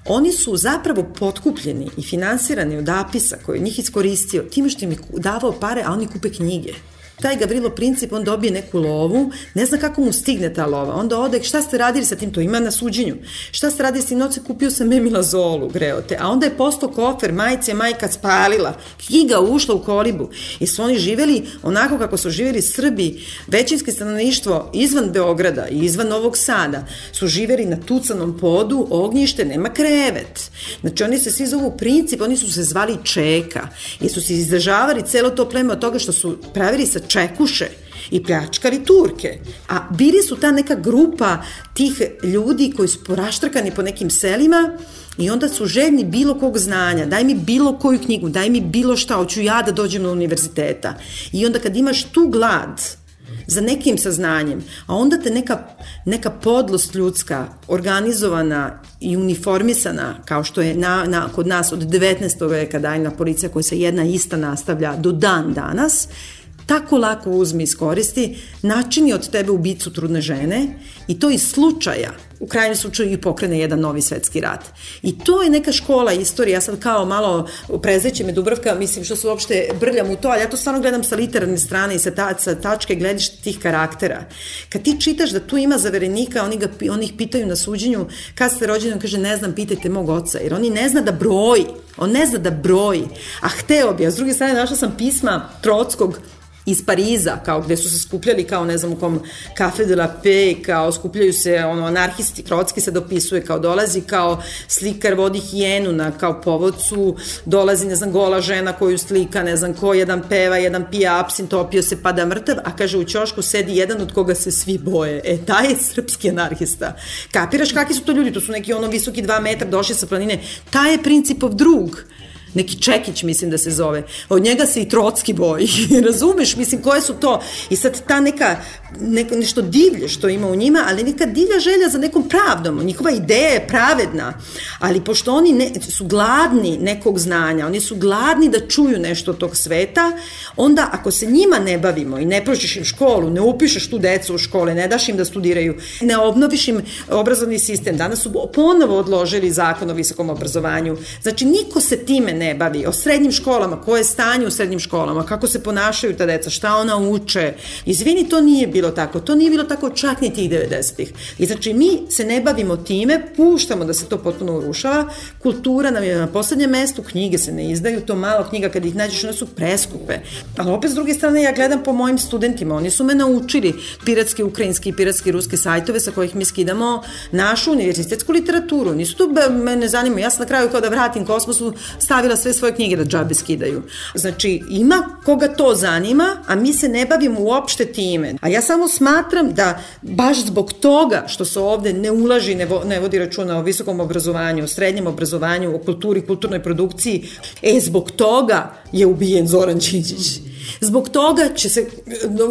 [SPEAKER 1] oni su zapravo potkupljeni i finansirani od APIS-a koji je njih iskoristio, time što im je davao pare, a oni kupe knjige. Taj Gavrilo Princip, on dobije neku lovu, ne zna kako mu stigne ta lova, onda ode, šta ste radili sa tim, to ima na suđenju, šta ste radili s tim novcem, kupio sam memilazolu, greote, a onda je postao kofer, majice majka spalila, knjiga ušla u kolibu, i su oni živeli onako kako su živeli Srbi, većinski stanovništvo izvan Beograda i izvan Novog Sada, su živeli na tucanom podu, ognjište, nema krevet, znači oni se svi zovu Princip, oni su se zvali Čeka, jer su se izdržavali celo to pleme od toga što su pravili sa čekuše i pljačkali Turke. A bili su ta neka grupa tih ljudi koji su poraštrkani po nekim selima i onda su željni bilo kog znanja, daj mi bilo koju knjigu, daj mi bilo šta, hoću ja da dođem do univerziteta. I onda kad imaš tu glad za nekim saznanjem, a onda te neka podlost ljudska, organizovana i uniformisana, kao što je kod nas od 19. veka dajna policija koja se jedna ista nastavlja do dan danas, tako lako uzmi iskoristi, načini od tebe ubicu trudne žene i to iz slučaja, u krajnjem slučaju i pokrene jedan novi svetski rat. I to je neka škola istorije, ja sad kao malo prezreće me Dubravka, mislim što se uopšte brljam u to, ali ja to stvarno gledam sa literarne strane i sa tačke gledišta tih karaktera. Kad ti čitaš da tu ima zaverenika, oni ih pitaju na suđenju, kad ste rođeni, on kaže ne znam, pitajte mog oca, jer oni ne zna da broji, on ne zna da broji, a hteo bi, a s druge strane našla sam pisma Trockog iz Pariza, kao gde su se skupljali kao ne znam u kom Café de la Paix, kao skupljaju se anarhisti, Trotski se dopisuje, kao dolazi kao slikar vodi hijenu na kao povodcu, dolazi ne znam gola žena koju slika, ne znam ko, jedan peva, jedan pije apsin, topio se, pada mrtav, a kaže u ćošku sedi jedan od koga se svi boje. Taj je srpski anarhista. Kapiraš kakvi su to ljudi? To su neki visoki 2 metra, došli sa planine. Taj je Principov drug. Neki Čekić, mislim da se zove. Od njega se i Trotski boji. Razumeš? Mislim, koje su to? I sad ta nešto divlje što ima u njima, ali neka divlja želja za nekom pravdom. Njihova ideja je pravedna. Ali pošto oni su gladni nekog znanja, oni su gladni da čuju nešto od tog sveta, onda ako se njima ne bavimo i ne prođeš im školu, ne upišeš tu decu u škole, ne daš im da studiraju, ne obnoviš im obrazovni sistem. Danas su ponovo odložili zakon o visokom obrazovanju. Znači, niko se time ne bavi, o srednjim školama, koje je stanje u srednjim školama, kako se ponašaju ta deca, šta ona uče. Izvini, to nije bilo tako. To nije bilo tako čak ni tih 90-ih. I znači, mi se ne bavimo time, puštamo da se to potpuno urušava, kultura nam je na poslednjem mestu, knjige se ne izdaju, to malo knjiga kad ih nađeš, one su preskupe. Ali opet s druge strane, ja gledam po mojim studentima, oni su me naučili piratski ukrajinski i piratski ruski sajtove sa kojih mi skidamo našu univerzitetsku literaturu. Nisu to, me ne zanima, ja sam na kraju kao da vratim Kosmosu stavila navela sve svoje knjige da džabe skidaju. Znači, ima koga to zanima, a mi se ne bavimo uopšte time. A ja samo smatram da baš zbog toga što se ovde ne ulaži, ne vodi računa o visokom obrazovanju, o srednjem obrazovanju, o kulturi, kulturnoj produkciji, zbog toga je ubijen Zoran Đinđić. Zbog toga će se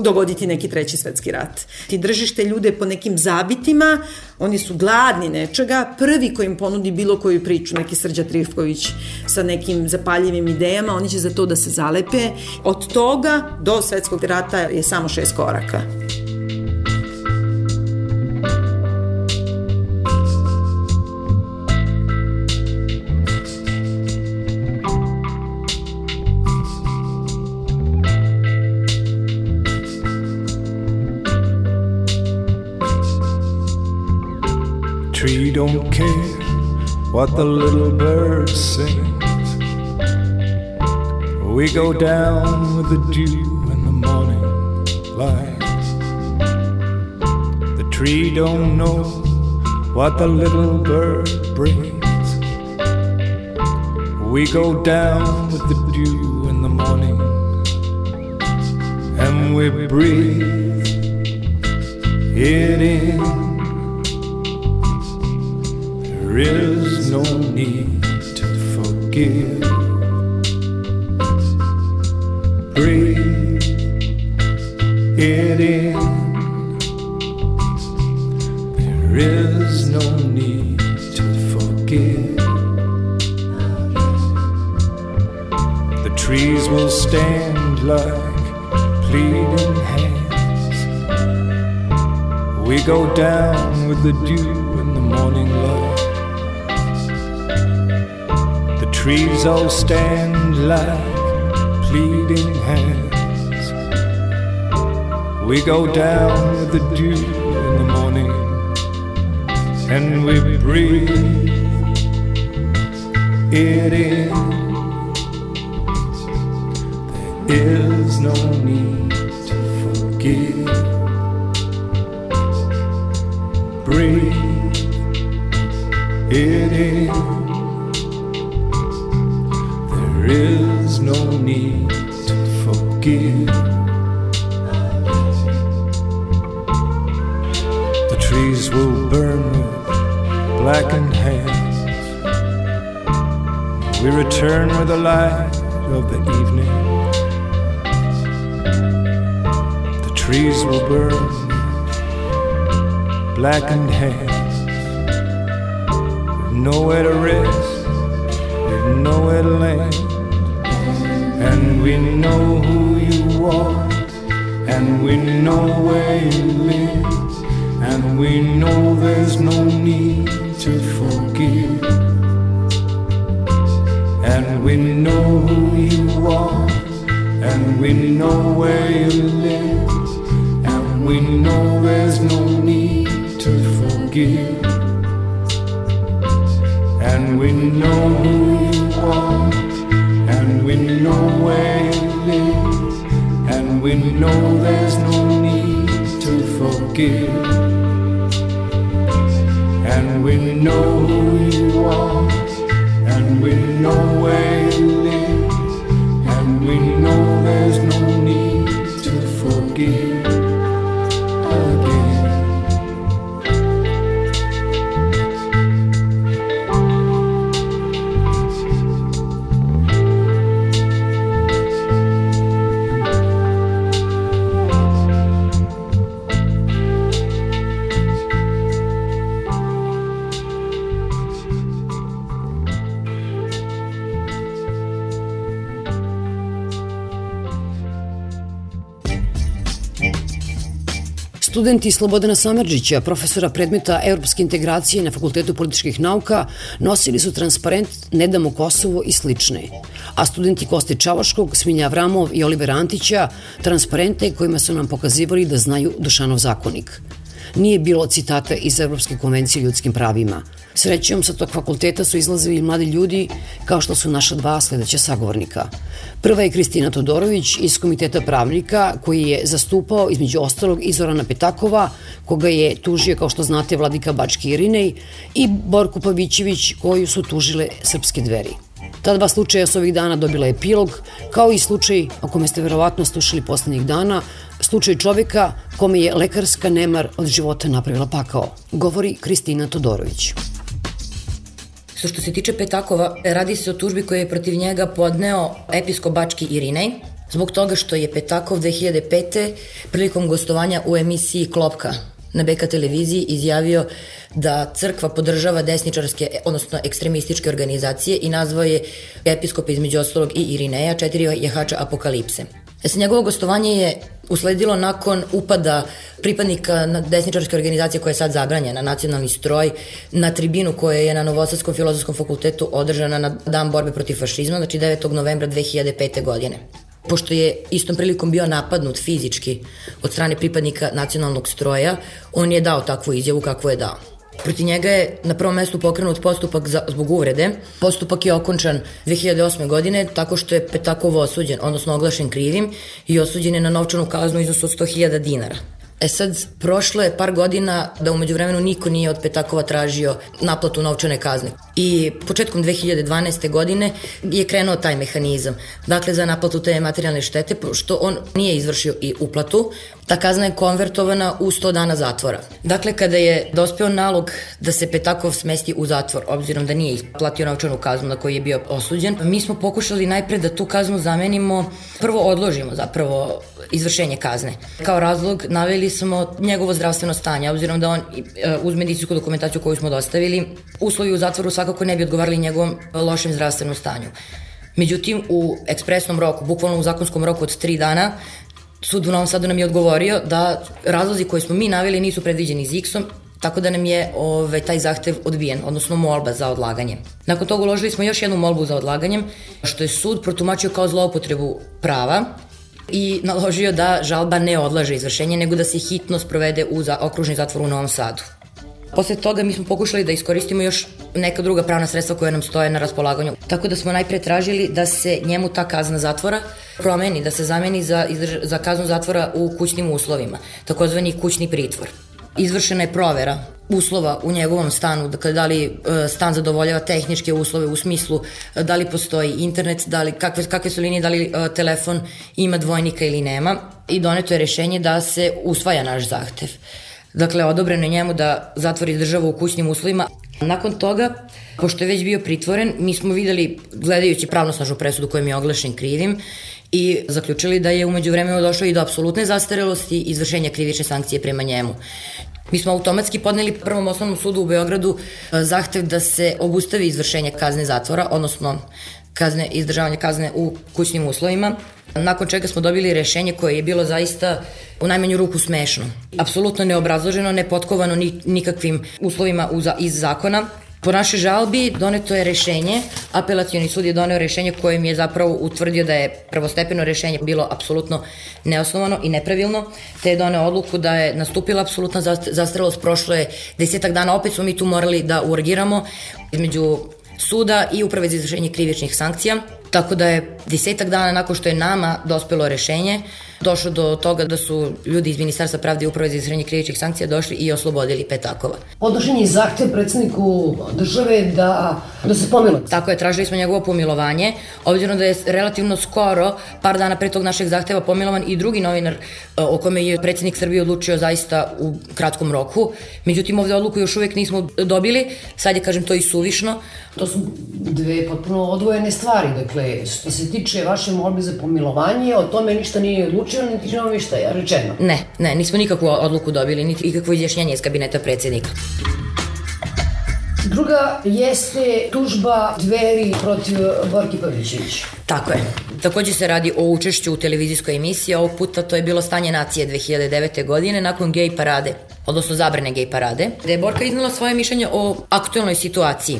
[SPEAKER 1] dogoditi neki treći svetski rat. Ti držiš te ljude po nekim zabitima, oni su gladni nečega, prvi koji im ponudi bilo koju priču, neki Srđa Trifković sa nekim zapaljivim idejama, oni će za to da se zalepe. Od toga do svetskog rata je samo 6 koraka.
[SPEAKER 2] Tree don't care what the little bird sings. We go down with the dew in the morning light. The tree don't know what the little bird brings. We go down with the dew in the morning, and we breathe it in. There is no need to forgive. Breathe it in. There is no need to forgive. The trees will stand like pleading hands. We go down with the dew in the morning light. Trees all stand like pleading hands. We go down with the dew in the morning, and we breathe it in. There is no need to forgive. Breathe it in. There is no need to forgive. The trees will burn with blackened hands. We return with the light of the evening. The trees will burn with blackened hands. We've nowhere to rest, we've nowhere to land. And we know who you are, and we know where you live, and we know there's no need to forgive. And we know who you are, and we know where you live, and we know there's no need to forgive. And we know who you are, and we know where you live, and we know there's no need to forgive. And we know who you are, and we know where you live, and we know there's no need to forgive again.
[SPEAKER 4] Studenti Slobodana Samardžića, profesora predmeta Evropske integracije na Fakultetu političkih nauka, nosili su transparent Ne damo Kosovo i slične. A studenti Koste Čavoškog, Smilja Avramov i Olivera Antića transparente kojima su nam pokazivali da znaju Dušanov zakonik. Nije bilo citata iz Evropske konvencije o ljudskim pravima. Srećom, sa tog fakulteta su izlazili mladi ljudi kao što su naša dva sledeća sagovornika. Prva je Kristina Todorović iz Komiteta pravnika koji je zastupao između ostalog i Zorana Petakova, koga je tužio, kao što znate, Vladika Bački Irinej, i Borku Pavićević koju su tužile Srpske Dveri. Ta dva slučaja su ovih dana dobila epilog, kao i slučaj o kome ste verovatno slušali poslednjih dana, slučaj čoveka kome je lekarska nemar od života napravila pakao, govori Kristina Todorović.
[SPEAKER 5] Što se tiče Petakova, radi se o tužbi koju je protiv njega podneo episkop bački Irinej, zbog toga što je Petakov 2005. prilikom gostovanja u emisiji Klopka na BK televiziji izjavio da crkva podržava desničarske, odnosno ekstremističke organizacije i nazvao je episkopa između ostalog i Irineja, 4 jahača apokalipse. Njegovo gostovanje je usledilo nakon upada pripadnika desničarske organizacije koja je sad zabranjena, Nacionalni stroj, na tribinu koja je na Novosadskom filozofskom fakultetu održana na Dan borbe protiv fašizma, znači 9. novembra 2005. godine. Pošto je istom prilikom bio napadnut fizički od strane pripadnika Nacionalnog stroja, on je dao takvu izjavu kakvu je dao. Protiv njega je na prvom mestu pokrenut postupak zbog uvrede. Postupak je okončan 2008. godine tako što je Petakov osuđen, odnosno oglašen krivim i osuđen je na novčanu kaznu u iznosu od 100.000 dinara. Sad, prošlo je par godina da umeđu vremenu niko nije od Petakova tražio naplatu novčane kazne. I početkom 2012. godine je krenuo taj mehanizam. Dakle, za naplatu te materijalne štete, što on nije izvršio i uplatu, ta kazna je konvertovana u 100 dana zatvora. Dakle, kada je dospeo nalog da se Petakov smesti u zatvor, obzirom da nije platio novčanu kaznu na koju je bio osuđen, mi smo pokušali najpre da tu kaznu zamenimo, prvo odložimo zapravo izvršenje kazne. Kao razlog naveli smo njegovo zdravstveno stanje, obzirom da on uz medicinsku dokumentaciju koju smo dostavili, uslovi u zatvoru svakako ne bi odgovarali njegovom lošem zdravstvenom stanju. Međutim, u ekspresnom roku, bukvalno u zakonskom roku od 3 dana, sud u Novom Sadu nam je odgovorio da razlozi koje smo mi naveli nisu predviđeni ZIKS-om, tako da nam je taj zahtev odbijen, odnosno molba za odlaganje. Nakon toga uložili smo još jednu molbu za odlaganjem, što je sud protumačio kao zloupotrebu prava i naložio da žalba ne odlaže izvršenje, nego da se hitno sprovede u okružni zatvor u Novom Sadu. Posle toga mi smo pokušali da iskoristimo još neka druga pravna sredstva koja nam stoje na raspolaganju. Tako da smo najpre tražili da se njemu ta kazna zatvora promeni, da se zameni za kaznu zatvora u kućnim uslovima, takozvani kućni pritvor. Izvršena je provera uslova u njegovom stanu, dakle da li stan zadovoljava tehničke uslove u smislu da li postoji internet, kakve su linije, da li telefon ima dvojnika ili nema, i doneto je rešenje da se usvaja naš zahtev. Dakle, odobreno je njemu da zatvor izdržava u kućnim uslovima. Nakon toga, pošto je već bio pritvoren, mi smo videli, gledajući pravnosnažnu presudu kojom je oglašen krivim, i zaključili da je umeđu vremenu došlo i do apsolutne zastarelosti i izvršenja krivične sankcije prema njemu. Mi smo automatski podneli Prvom osnovnom sudu u Beogradu zahtev da se obustavi izvršenje kazne zatvora, odnosno izdržavanje kazne u kućnim uslovima, nakon čega smo dobili rešenje koje je bilo zaista u najmanju ruku smešno. Apsolutno neobrazloženo, nepotkovano nikakvim uslovima iz zakona. Po našoj žalbi doneto je rešenje, apelacioni sud je doneo rešenje kojim je zapravo utvrdio da je prvostepeno rešenje bilo apsolutno neosnovano i nepravilno, te je doneo odluku da je nastupila apsolutna zastarelost, prošlo je 10 dana, opet smo mi tu morali da urgiramo između suda i Uprave za izvršenje krivičnih sankcija, tako da je 10 dana nakon što je nama dospelo rešenje, došlo do toga da su ljudi iz Ministarstva pravde i Uprave za izvršenje krivičnih sankcija došli i oslobodili Petakova.
[SPEAKER 4] Podnošen je zahtev predsedniku države da se pomiluje.
[SPEAKER 5] Tako je, tražili smo njegovo pomilovanje, obzirom da je relativno skoro, par dana pre tog našeg zahteva, pomilovan i drugi novinar o kome je predsednik Srbije odlučio zaista u kratkom roku. Međutim, ovde odluku još uvek nismo dobili, sad je, kažem, to i suvišno.
[SPEAKER 4] To su dve potpuno odvojene stvari, dakle, što se tiče vaše molbe za pomilovanje, o tome ništa nije odlučeno, niti nam ništa je rečeno.
[SPEAKER 5] Ne, nismo nikakvu odluku dobili, niti ikakvo izjašnjenje iz kabineta predsednika.
[SPEAKER 4] Druga jeste tužba Dveri protiv Borke Pavićević.
[SPEAKER 5] Tako je. Takođe se radi o učešću u televizijskoj emisiji, ovog puta to je bilo Stanje nacije 2009. godine nakon gej parade, odnosno zabrane gej parade, gde je Borka iznala svoje mišljenje o aktuelnoj situaciji.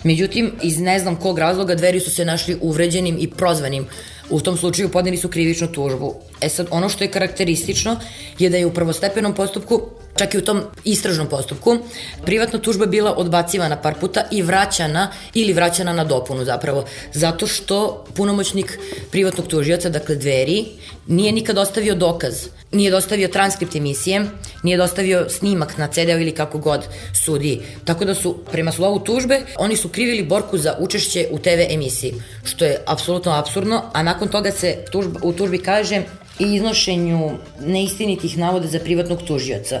[SPEAKER 5] Međutim, iz ne znam kog razloga Dveri su se našli uvređenim i prozvanim. U tom slučaju podneli su krivičnu tužbu. Sad, ono što je karakteristično je da je u prvostepenom postupku, čak i u tom istražnom postupku, privatna tužba bila odbacivana par puta i vraćana na dopunu zapravo. Zato što punomoćnik privatnog tužioca, dakle Dveri, nije nikad ostavio dokaz nije dostavio transkript emisije, nije dostavio snimak na CD-u ili kako god sudiji. Tako da su, prema slovu tužbe, oni su krivili Borku za učešće u TV emisiji, što je apsolutno apsurdno, a nakon toga se u tužbi kaže i iznošenju neistinitih navoda za privatnog tužioca.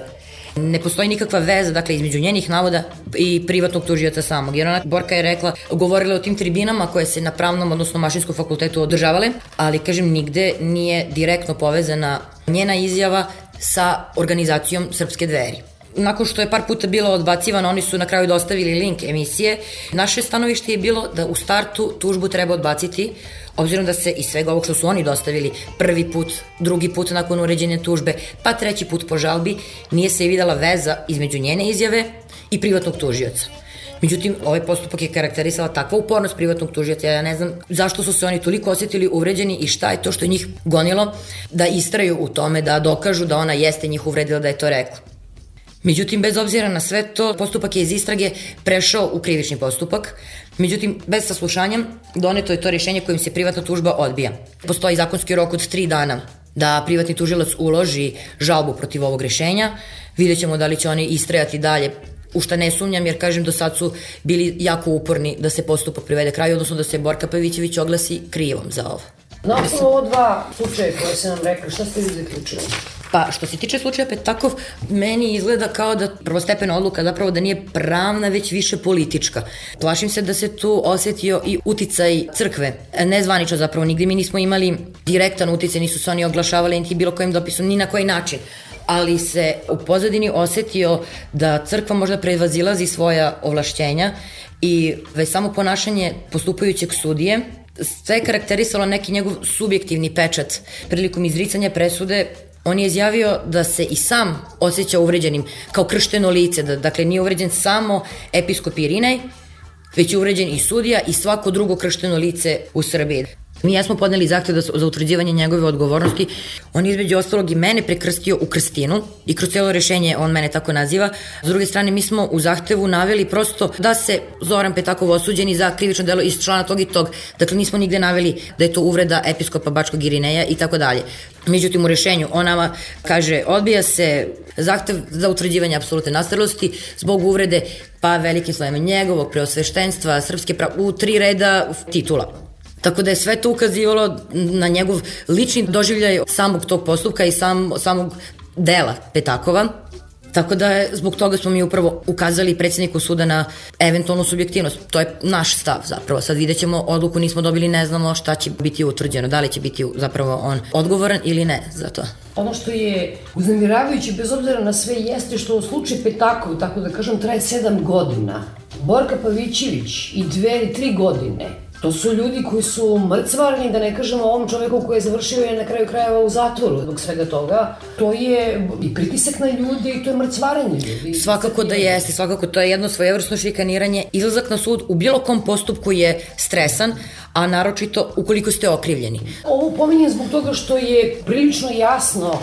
[SPEAKER 5] Ne postoji nikakva veza, dakle, između njenih navoda i privatnog tužioca samog, jer ona, Borka je rekla, govorila o tim tribinama koje se na pravnom, odnosno mašinskom fakultetu održavale, ali, kažem, nigde nije direktno povezana njena izjava sa organizacijom Srpske dveri. Nakon što je par puta bilo odbacivano, oni su na kraju dostavili link emisije. Naše stanovište je bilo da u startu tužbu treba odbaciti, obzirom da se iz svega ovog što su oni dostavili prvi put, drugi put nakon uređenja tužbe, pa treći put po žalbi, nije se videla veza između njene izjave i privatnog tužioca. Međutim, ovaj postupak je karakterisala takva upornost privatnog tužioca, ja ne znam zašto su se oni toliko osjetili uvređeni i šta je to što je njih gonilo da istraju u tome, da dokažu da ona jeste njih uvredila, da je to rekla. Međutim, bez obzira na sve to, postupak je iz istrage prešao u krivični postupak. Međutim, bez saslušanja doneto je to rješenje kojim se privatna tužba odbija. Postoji zakonski rok od 3 dana da privatni tužilac uloži žalbu protiv ovog rješenja. Vidjet ćemo da li će oni istrajati dalje, u šta ne sumnjam, jer, kažem, do sad su bili jako uporni da se postupak privede kraju, odnosno da se Borka Pavićević oglasi krivom za ovo.
[SPEAKER 4] Na osnovu ovo 2 slučaje koje se nam rekli, šta ste vi zaključili?
[SPEAKER 5] Pa, što se tiče slučaja Petakov, meni izgleda kao da prvostepena odluka zapravo da nije pravna, već više politička. Plašim se da se tu osjetio i uticaj crkve. Nezvanično zapravo, nigde mi nismo imali direktan uticaj, nisu se oni oglašavali niti bilo kojim dopisom, ni na koji način. Ali se u pozadini osjetio da crkva možda prevazilazi svoja ovlašćenja i već samo ponašanje postupajućeg sudije sve je karakterisalo neki njegov subjektivni pečat. Prilikom izricanja presude on je izjavio da se i sam osjeća uvređenim kao kršteno lice, da dakle nije uvređen samo episkop Irinej, već je uvređen i sudija i svako drugo kršteno lice u Srbiji. Mi jesmo podneli zahtev za utvrđivanje njegove odgovornosti. On je između ostalog i mene prekrstio u krstinu i kroz cijelo rešenje on mene tako naziva. S druge strane, mi smo u zahtevu naveli prosto da se Zoran Petakov osuđeni za krivično delo iz člana tog i tog. Dakle, nismo nigde naveli da je to uvreda episkopa Bačkog Irineja i tako dalje. Međutim, u rešenju on nama kaže, odbija se zahtev za utvrđivanje apsolutne nastarelosti zbog uvrede pa velikim slovima njegovog preosveštenstva, srpske u 3 reda titula. Tako da je sve to ukazivalo na njegov lični doživljaj samog tog postupka i samog dela Petakova. Tako da je, zbog toga smo mi upravo ukazali predsjedniku suda na eventualnu subjektivnost. To je naš stav zapravo. Sad vidjet ćemo, odluku nismo dobili, ne znamo šta će biti utvrđeno. Da li će biti zapravo on odgovoran ili ne za to.
[SPEAKER 4] Ono što je uznemiravajuće, bez obzira na sve, jeste što u slučaju Petakov, tako da kažem, traje 7 godina. Borka Pavićević i 2 ili 3 godine. To su ljudi koji su mrcvarni, da ne kažemo o ovom čoveku koji je završio je na kraju krajeva u zatvoru zbog svega toga. To je i pritisak na ljude i to je mrcvaranje ljudi.
[SPEAKER 5] Svakako da jeste, svakako to je jedno svojevrsno šikaniranje. Izlazak na sud u bilo kom postupku je stresan, a naročito ukoliko ste okrivljeni.
[SPEAKER 4] Ovo pominjem zbog toga što je prilično jasno,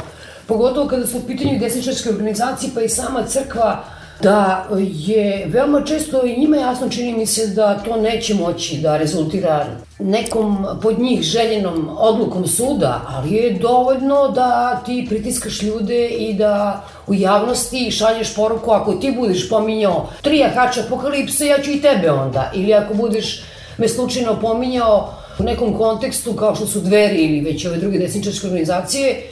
[SPEAKER 4] pogotovo kada su u pitanju desničarske organizacije pa i sama crkva, da je veoma često i njima jasno, čini mi se, da to neće moći da rezultira nekom pod njih željenom odlukom suda, ali je dovoljno da ti pritiskaš ljude i da u javnosti šalješ poruku, ako ti budeš pominjao 3 jahača apokalipse, ja ću i tebe onda. Ili ako budeš me slučajno pominjao u nekom kontekstu kao što su Dveri ili već ove druge desničarske organizacije,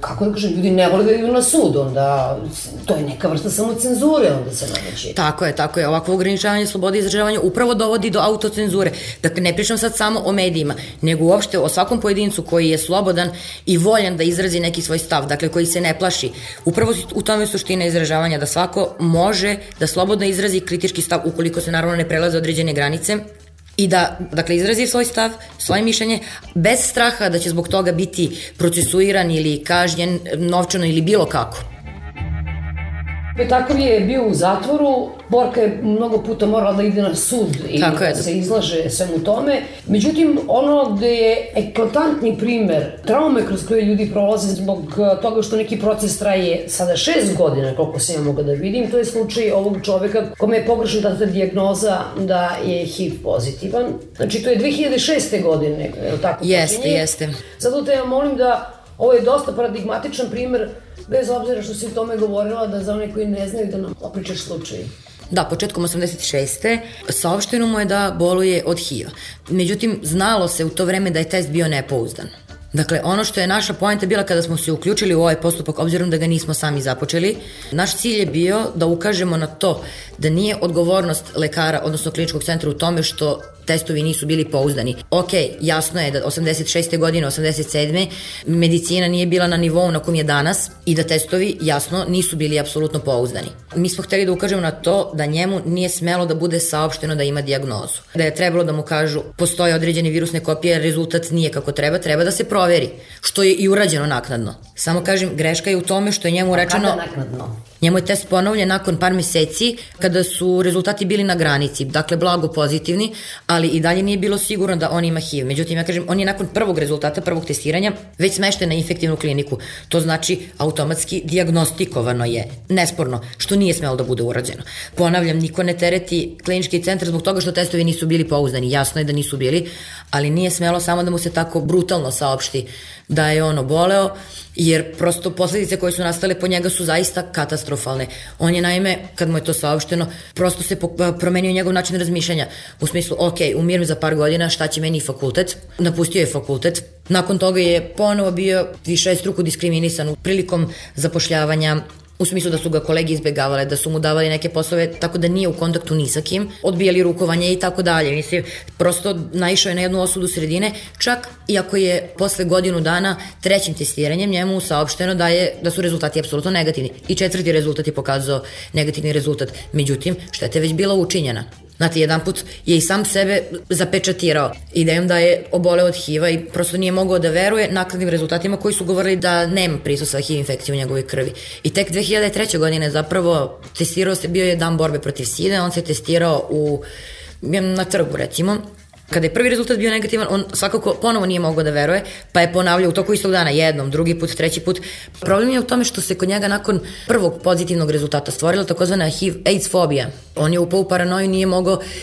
[SPEAKER 4] kako da kažem, ljudi ne vole da idu na sud, onda to je neka vrsta samocenzure, onda se nameće.
[SPEAKER 5] Tako je, ovakvo ograničavanje slobode izražavanja upravo dovodi do autocenzure. Dakle, ne pričam sad samo o medijima, nego uopšte o svakom pojedincu koji je slobodan i voljan da izrazi neki svoj stav, dakle, koji se ne plaši. Upravo u tome je suština izražavanja, da svako može da slobodno izrazi kritički stav, ukoliko se naravno ne prelaze određene granice, i da, dakle, izrazi svoj stav, svoje mišljenje, bez straha da će zbog toga biti procesuiran ili kažnjen novčano ili bilo kako.
[SPEAKER 4] Petakov je bio u zatvoru, Borka je mnogo puta morala da ide na sud i da se izlaže svemu tome. Međutim, ono gde je eklatantni primer traume kroz koje ljudi prolaze zbog toga što neki proces traje sada 6 godina, koliko se ja mogu da vidim, to je slučaj ovog čoveka kome je pogrešna data dijagnoza da je HIV pozitivan. Znači, to je 2006. godine, je li tako?
[SPEAKER 5] Jeste.
[SPEAKER 4] Zato te ja molim da Ovo je dosta paradigmatičan primer, bez obzira što si o tome govorila, da za one koji ne znaju da nam opričaš slučaj.
[SPEAKER 5] Da, početkom 86. saopšteno mu je da boluje od HIV-a. Međutim, znalo se u to vreme da je test bio nepouzdan. Dakle, ono što je naša poenta bila kada smo se uključili u ovaj postupak, obzirom da ga nismo sami započeli, naš cilj je bio da ukažemo na to da nije odgovornost lekara, odnosno kliničkog centra u tome što testovi nisu bili pouzdani. Ok, jasno je da 86. godine, 87. medicina nije bila na nivou na kom je danas i da testovi, jasno, nisu bili apsolutno pouzdani. Mi smo hteli da ukažemo na to da njemu nije smelo da bude saopšteno da ima dijagnozu. Da je trebalo da mu kažu postoje određene virusne kopije, rezultat nije kako treba, treba da se proveri, što je i urađeno naknadno. Samo kažem, greška je u tome što je njemu rečeno...
[SPEAKER 4] Kada naknadno?
[SPEAKER 5] Njemu je test ponovljen nakon par meseci kada su rezultati bili na granici, dakle blago pozitivni, ali i dalje nije bilo sigurno da on ima HIV. Međutim, ja kažem, on je nakon prvog rezultata, prvog testiranja već smešten na infektivnu kliniku. To znači automatski dijagnostikovano je, nesporno, što nije smelo da bude urađeno. Ponavljam, niko ne tereti klinički centar zbog toga što testovi nisu bili pouzdani. Jasno je da nisu bili, ali nije smelo samo da mu se tako brutalno saopšti da je on oboleo, jer prosto posledice koje su nastale po njega su zaista katastrofalne. On je naime, kad mu je to saopšteno, prosto se promenio njegov način razmišljanja. U smislu, ok, umirim za par godina, šta će meni fakultet? Napustio je fakultet. Nakon toga je ponovo bio višestruko diskriminisan prilikom zapošljavanja, u smislu da su ga kolege izbegavale, da su mu davali neke poslove, tako da nije u kontaktu ni sa kim, odbijali rukovanje i tako dalje. Mislim, prosto naišao je na jednu osudu sredine, čak i ako je posle godinu dana trećim testiranjem njemu saopšteno da su rezultati apsolutno negativni. I četvrti rezultat je pokazao negativni rezultat. Međutim, šteta je već bila učinjena. Znate, jedan put je i sam sebe zapečatirao idejom da je oboleo od HIV-a i prosto nije mogao da veruje nakladnim rezultatima koji su govorili da nema prisustva HIV infekcije u njegovoj krvi. I tek 2003. godine zapravo testirao se, bio je dan borbe protiv side, on se testirao na trgu recimo. Kada je prvi rezultat bio negativan, on svakako ponovo nije mogao da veruje, pa je ponavljao u toku istog dana jednom, drugi put, treći put. Problem je u tome što se kod njega nakon prvog pozitivnog rezultata stvorila takozvana HIV-AIDS fobija. On je upao u paranoju,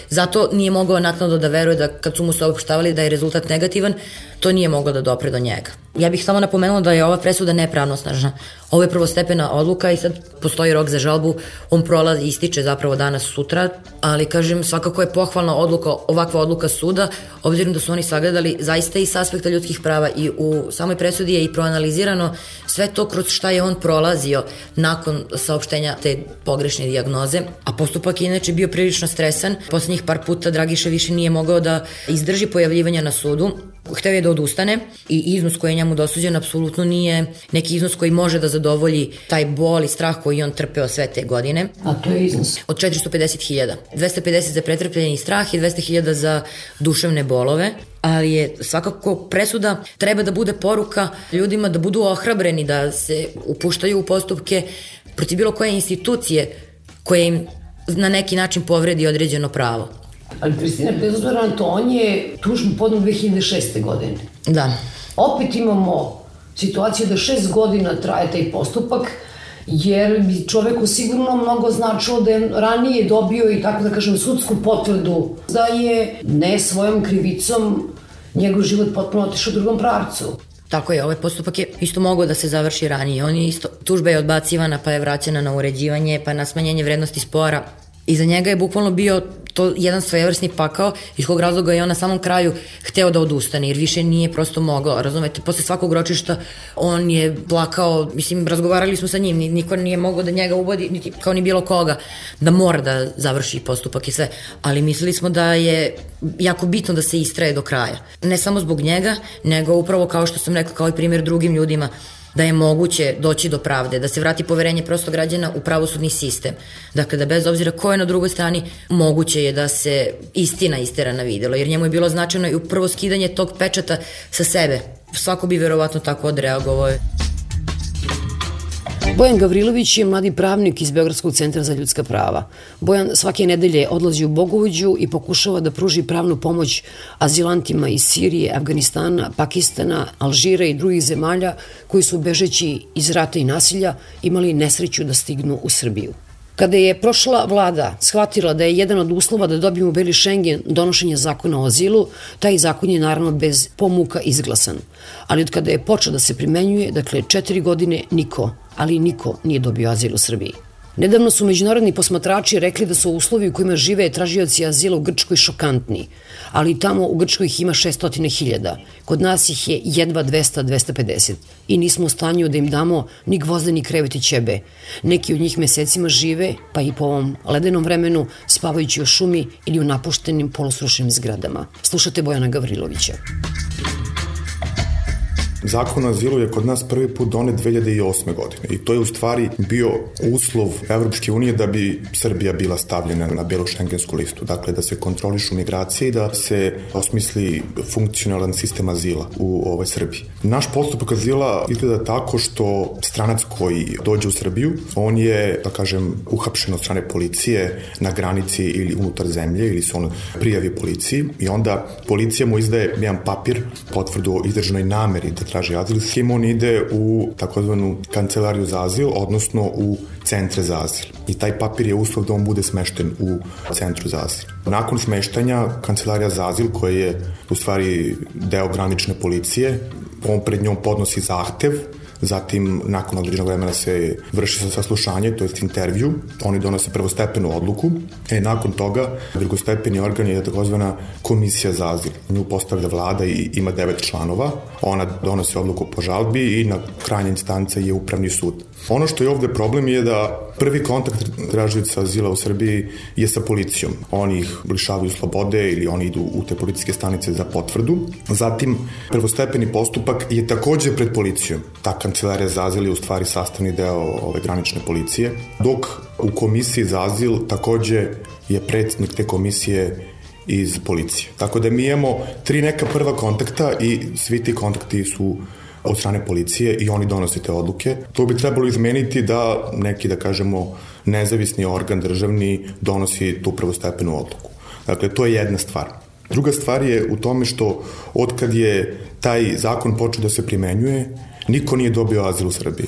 [SPEAKER 5] zato nije mogao naknadno da veruje da kad su mu saopštavali da je rezultat negativan, to nije moglo da dopre do njega. Ja bih samo napomenula da je ova presuda nepravnosnažna. Ovo je prvostepena odluka i sad postoji rok za žalbu, on prolazi, ističe zapravo danas sutra, ali kažem svakako je pohvalna odluka, ovakva odluka suda, obzirom da su oni sagledali zaista i s aspekta ljudskih prava i u samoj presudi je i proanalizirano sve to kroz šta je on prolazio nakon saopštenja te pogrešne dijagnoze, a postupak je inače bio prilično stresan. Poslednjih par puta Dragiša više nije mogao da izdrži pojavljivanja na sudu, hteo je da odustane i iznos koji je njemu dosuđen apsolutno nije neki iznos koji može da zadovolji taj bol i strah koji on trpeo sve te godine.
[SPEAKER 4] A to je iznos?
[SPEAKER 5] Od 450.000. 250 za pretrpljeni strah i 200.000 za duševne bolove, ali je svakako presuda treba da bude poruka ljudima da budu ohrabreni, da se upuštaju u postupke protiv bilo koje institucije koje im na neki način povredi određeno pravo.
[SPEAKER 4] Ali Kristina, bez obzira na to, on je tužbu podneo 2006. godine.
[SPEAKER 5] Da.
[SPEAKER 4] Opet imamo situaciju da 6 godina traje taj postupak, jer bi čoveku sigurno mnogo značilo da je ranije dobio i tako da kažem sudsku potvrdu da je ne svojom krivicom njegov život potpuno otišao u drugom pravcu.
[SPEAKER 5] Tako je, ovaj postupak je isto mogao da se završi ranije. Tužba je odbacivana, pa je vraćena na uređivanje, pa na smanjenje vrednosti spora. I za njega je bukvalno bio to jedan svojevrsni pakao, iz kog razloga je on na samom kraju hteo da odustane, jer više nije prosto mogao, razumete, posle svakog ročišta on je plakao, mislim, razgovarali smo sa njim, niko nije mogao da njega uvodi, niti kao ni bilo koga, da mora da završi postupak i sve, ali mislili smo da je jako bitno da se istraje do kraja, ne samo zbog njega, nego upravo kao što sam rekla, kao i primjer drugim ljudima, da je moguće doći do pravde, da se vrati poverenje prosto građana u pravosudni sistem. Dakle, da bez obzira ko je na drugoj strani, moguće je da se istina istera na videlo, jer njemu je bilo značajno i upravo skidanje tog pečata sa sebe. Svako bi verovatno tako odreagovao.
[SPEAKER 4] Bojan Gavrilović je mladi pravnik iz Beogradskog centra za ljudska prava. Bojan svake nedelje odlazi u Bogovođu i pokušava da pruži pravnu pomoć azilantima iz Sirije, Afganistana, Pakistana, Alžira i drugih zemalja koji su bežeći iz rata i nasilja imali nesreću da stignu u Srbiju. Kada je prošla vlada shvatila da je jedan od uslova da dobijemo beli Schengen donošenje zakona o azilu, taj zakon je naravno bez pomuka izglasan. Ali od kada je počeo da se primenjuje, dakle 4 godine, niko nije dobio azil u Srbiji. Nedavno su međunarodni posmatrači rekli da su uslovi u kojima žive tražioci azila u Grčkoj šokantni, ali tamo u Grčkoj ih ima 600.000, kod nas ih je jedva 200-250 i nismo u stanju da im damo ni gvozde ni krevet i ćebe. Neki od njih mesecima žive, pa i po ovom ledenom vremenu, spavajući u šumi ili u napuštenim polosrušenim zgradama. Slušate Bojana Gavrilovića.
[SPEAKER 6] Zakon o azilu je kod nas prvi put donet 2008. godine i to je u stvari bio uslov Evropske unije da bi Srbija bila stavljena na belu šengensku listu. Dakle, da se kontrolišu migracije i da se osmisli funkcionalan sistem azila u Srbiji. Naš postupak azila izgleda tako što stranac koji dođe u Srbiju, on je, da kažem, uhapšen od strane policije na granici ili unutar zemlje ili se on prijavi policiji i onda policija mu izdaje jedan papir, potvrdu o izdržanoj nameri da traži azil, s kim on ide u takozvanu kancelariju za azil, odnosno u centre za azil. I taj papir je uslov da on bude smešten u centru za azil. Nakon smeštanja, kancelarija za azil, koja je u stvari deo granične policije, on pred njom podnosi zahtev, zatim nakon određenog vremena se vrši saslušanje, to je intervju, oni donose prvostepenu odluku, nakon toga drugostepeni organ je takozvana komisija za azil. Nju postavlja vlada i ima 9 članova, ona donosi odluku po žalbi i na krajnja instanca je upravni sud. Ono što je ovde problem je da prvi kontakt tražioca azila u Srbiji je sa policijom. Oni ih lišavaju slobode ili oni idu u te policijske stanice za potvrdu. Zatim, prvostepeni postupak je takođe pred policijom. Ta kancelarija za azil je u stvari sastavni deo ove granične policije, dok u komisiji za azil takođe je predsjednik te komisije iz policije. Tako da mi imamo 3 neka prva kontakta i svi ti kontakti su od strane policije i oni donose te odluke. To bi trebalo izmeniti da neki, da kažemo, nezavisni organ državni donosi tu prvostepenu odluku. Dakle, to je jedna stvar. Druga stvar je u tome što otkad je taj zakon počeo da se primenjuje, niko nije dobio azil u Srbiji.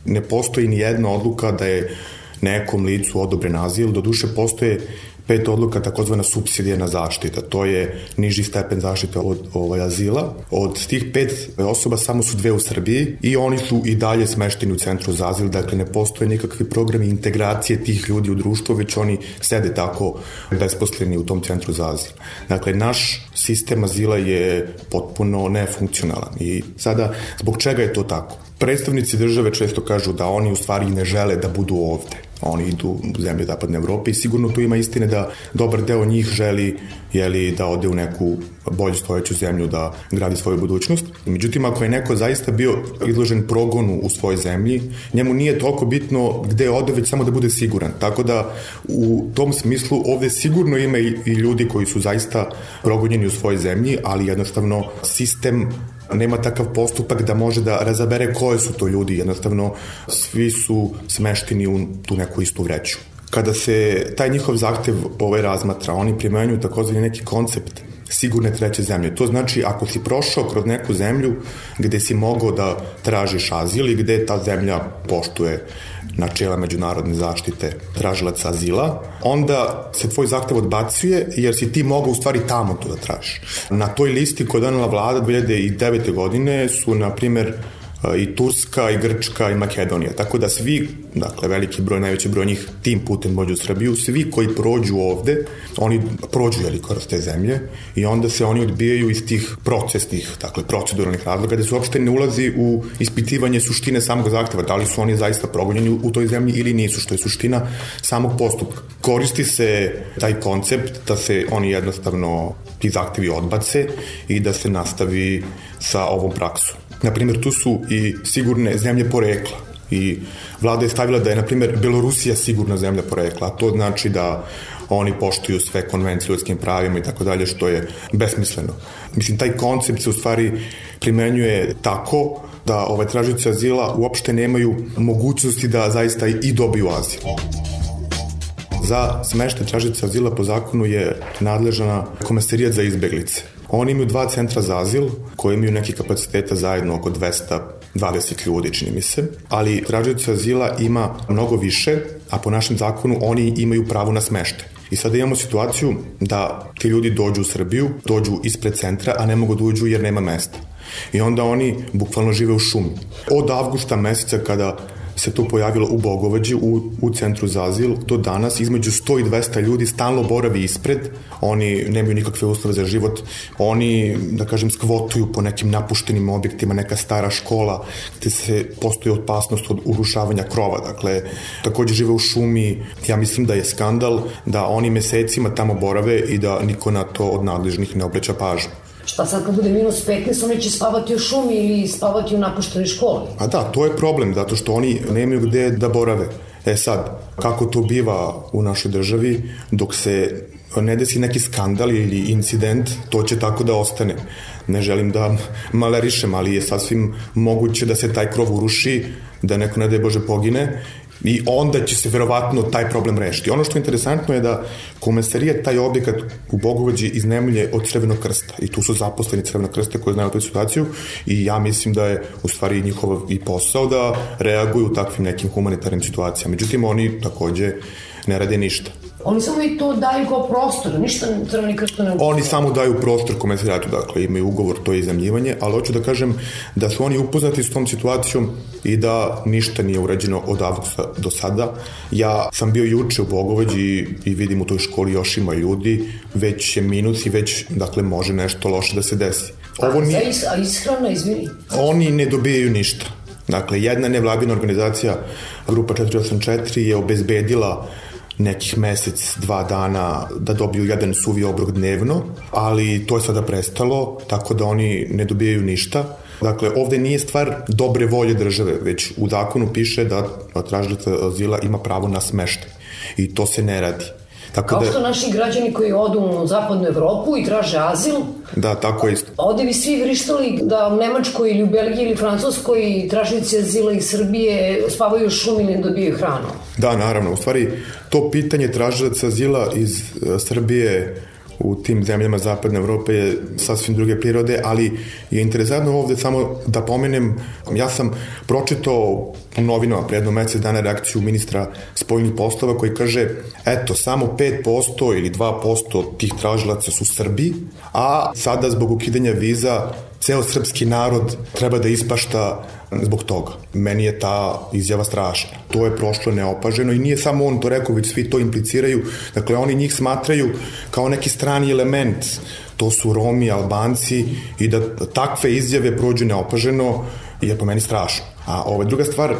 [SPEAKER 6] Ne postoji ni jedna odluka da je nekom licu odobren azil, doduše postoje 5 odluka, takozvana supsidijarna zaštita. To je niži stepen zaštite od azila. Od tih 5 osoba samo su 2 u Srbiji i oni su i dalje smešteni u centru za azil, dakle ne postoje nikakvi programi integracije tih ljudi u društvo, već oni sede tako besposleni u tom centru za azil. Dakle, naš sistem azila je potpuno nefunkcionalan i sada, zbog čega je to tako? Predstavnici države često kažu da oni u stvari ne žele da budu ovde. Oni idu u zemlje Zapadne Evrope i sigurno tu ima istine da dobar deo njih želi da ode u neku bolju stojeću zemlju da gradi svoju budućnost. Međutim, ako je neko zaista bio izložen progonu u svojoj zemlji, njemu nije toliko bitno gde ode, već samo da bude siguran. Tako da u tom smislu ovde sigurno ima i ljudi koji su zaista progonjeni u svojoj zemlji, ali jednostavno sistem nema takav postupak da može da razabere koje su to ljudi, jednostavno svi su smešteni u tu neku istu vreću. Kada se taj njihov zahtev razmatra, oni primenjuju takozvani neki koncept sigurne treće zemlje. To znači ako si prošao kroz neku zemlju gde si mogao da tražiš azil i gde ta zemlja poštuje načela međunarodne zaštite tražilaca azila, onda se tvoj zahtev odbacuje jer si ti mogao u stvari tamo to da tražiš. Na toj listi koju je donela vlada 2009. godine su, na primer, i Turska, i Grčka, i Makedonija. Tako da svi, dakle veliki broj, najveći broj njih tim putem dođu u Srbiju, svi koji prođu ovde, oni prođu kroz te zemlje i onda se oni odbijaju iz tih procesnih, dakle proceduralnih razloga, gde se uopšte ne ulazi u ispitivanje suštine samog zahteva, da li su oni zaista progonjeni u toj zemlji ili nisu, što je suština samog postupka. Koristi se taj koncept da se oni jednostavno ti zahtevi odbace i da se nastavi sa ovom praksom. Naprimjer, tu su i sigurne zemlje porekla i vlada je stavila da je, naprimjer, Belorusija sigurna zemlja porekla, a to znači da oni poštuju sve konvencije o ljudskim pravima i tako dalje, što je besmisleno. Mislim, taj koncept se u stvari primenjuje tako da tražioci azila uopšte nemaju mogućnosti da zaista i dobiju azil. Za smeštaj tražioca azila po zakonu je nadležna Komesarijat za izbeglice. Oni imaju 2 centra za azil, koji imaju neki kapaciteta zajedno oko 20 ljudi, čini mi se, ali tražioca azila ima mnogo više, a po našem zakonu oni imaju pravo na smeštaj. I sada imamo situaciju da ti ljudi dođu u Srbiju, dođu ispred centra, a ne mogu da uđu jer nema mesta. I onda oni bukvalno žive u šumi. Od avgusta meseca kada se to pojavilo u Bogovađi, u centru za azil, do danas između 100 i 200 ljudi stalno boravi ispred, oni nemaju nikakve uslove za život, oni, da kažem, skvotuju po nekim napuštenim objektima, neka stara škola, gde se postoji opasnost od urušavanja krova, dakle, takođe žive u šumi. Ja mislim da je skandal da oni mesecima tamo borave i da niko na to od nadležnih ne obraća pažnju.
[SPEAKER 4] Šta sad kad bude minus 15, oni će spavati u šumi ili spavati u napuštenoj školi?
[SPEAKER 6] A da, to je problem, zato što oni nemaju gde da borave. Sad, kako to biva u našoj državi, dok se ne desi neki skandal ili incident, to će tako da ostane. Ne želim da malerišem, ali je sasvim moguće da se taj krov uruši, da neko, ne daj Bože, pogine, i onda će se verovatno taj problem rešiti. Ono što je interesantno je da komesarija taj objekat u Bogovađi iznajmljuje od Crvenog krsta i tu su zaposleni Crvenog krsta koji znaju tu situaciju i ja mislim da je u stvari njihov i posao da reaguju u takvim nekim humanitarnim situacijama. Međutim, oni takođe ne rade ništa.
[SPEAKER 4] Oni samo i to daju kao prostor, ništa Crveni krst ne učinjava.
[SPEAKER 6] Oni samo daju prostor komesarijatu, dakle imaju ugovor, to je iznajmljivanje, ali hoću da kažem da su oni upoznati s tom situacijom i da ništa nije urađeno od avgusta do sada. Ja sam bio juče u Bogovađi i vidim u toj školi još ima ljudi, već je minus i već, dakle, može nešto loše da se desi.
[SPEAKER 4] A ishrana, izvini?
[SPEAKER 6] Oni ne dobijaju ništa. Dakle, jedna nevladina organizacija, grupa 484, je obezbedila nekih mesec, 2 dana da dobiju jedan suvi obrok dnevno, ali to je sada prestalo, tako da oni ne dobijaju ništa. Dakle, ovde nije stvar dobre volje države, već u zakonu piše da tražilac azila ima pravo na smeštaj i to se ne radi.
[SPEAKER 4] Kao što naši građani koji odu u zapadnu Evropu i traže azil.
[SPEAKER 6] Da, tako je isto.
[SPEAKER 4] Ovde bi svi vrištali da u Nemačkoj ili u Belgiji ili Francuskoj tražnici azila iz Srbije spavaju u šumi ili ne dobijaju hranu.
[SPEAKER 6] Da, naravno. U stvari, to pitanje tražilaca azila iz Srbije u tim zemljama zapadne Evrope je sasvim druge prirode, ali je interesantno ovde samo da pomenem, ja sam pročitao u novinama pre jedno mesec dana reakciju ministra spoljnih poslova koji kaže, eto, samo 5% ili 2% tih tražilaca su Srbi, a sada zbog ukidanja viza ceo srpski narod treba da ispašta zbog toga. Meni je ta izjava strašna. To je prošlo neopaženo i nije samo on to rekao, već svi to impliciraju. Dakle, oni njih smatraju kao neki strani element. To su Romi, Albanci i da takve izjave prođu neopaženo je po meni strašno. A druga stvar,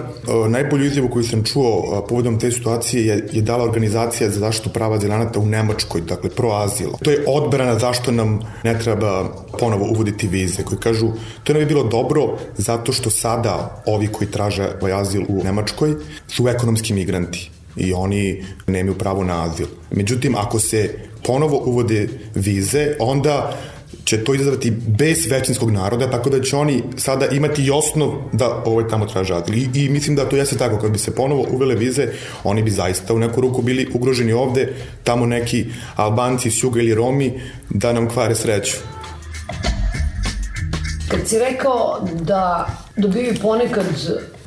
[SPEAKER 6] najbolju izjavu koju sam čuo povodom te situacije je dala organizacija za zaštitu prava azilanata u Nemačkoj, dakle proazil. To je odbrana zašto nam ne treba ponovo uvoditi vize, koji kažu to ne bi bilo dobro zato što sada ovi koji traže azil u Nemačkoj su ekonomski migranti i oni nemaju pravo na azil. Međutim, ako se ponovo uvode vize, onda će to izazvati bes većinskog naroda, tako da će oni sada imati i osnov da tamo traže azil. I mislim da to jeste tako, kad bi se ponovo uvele vize, oni bi zaista u neku ruku bili ugroženi ovde, tamo neki Albanci s juga ili Romi da nam kvare sreću.
[SPEAKER 4] Kad si rekao da dobiju ponekad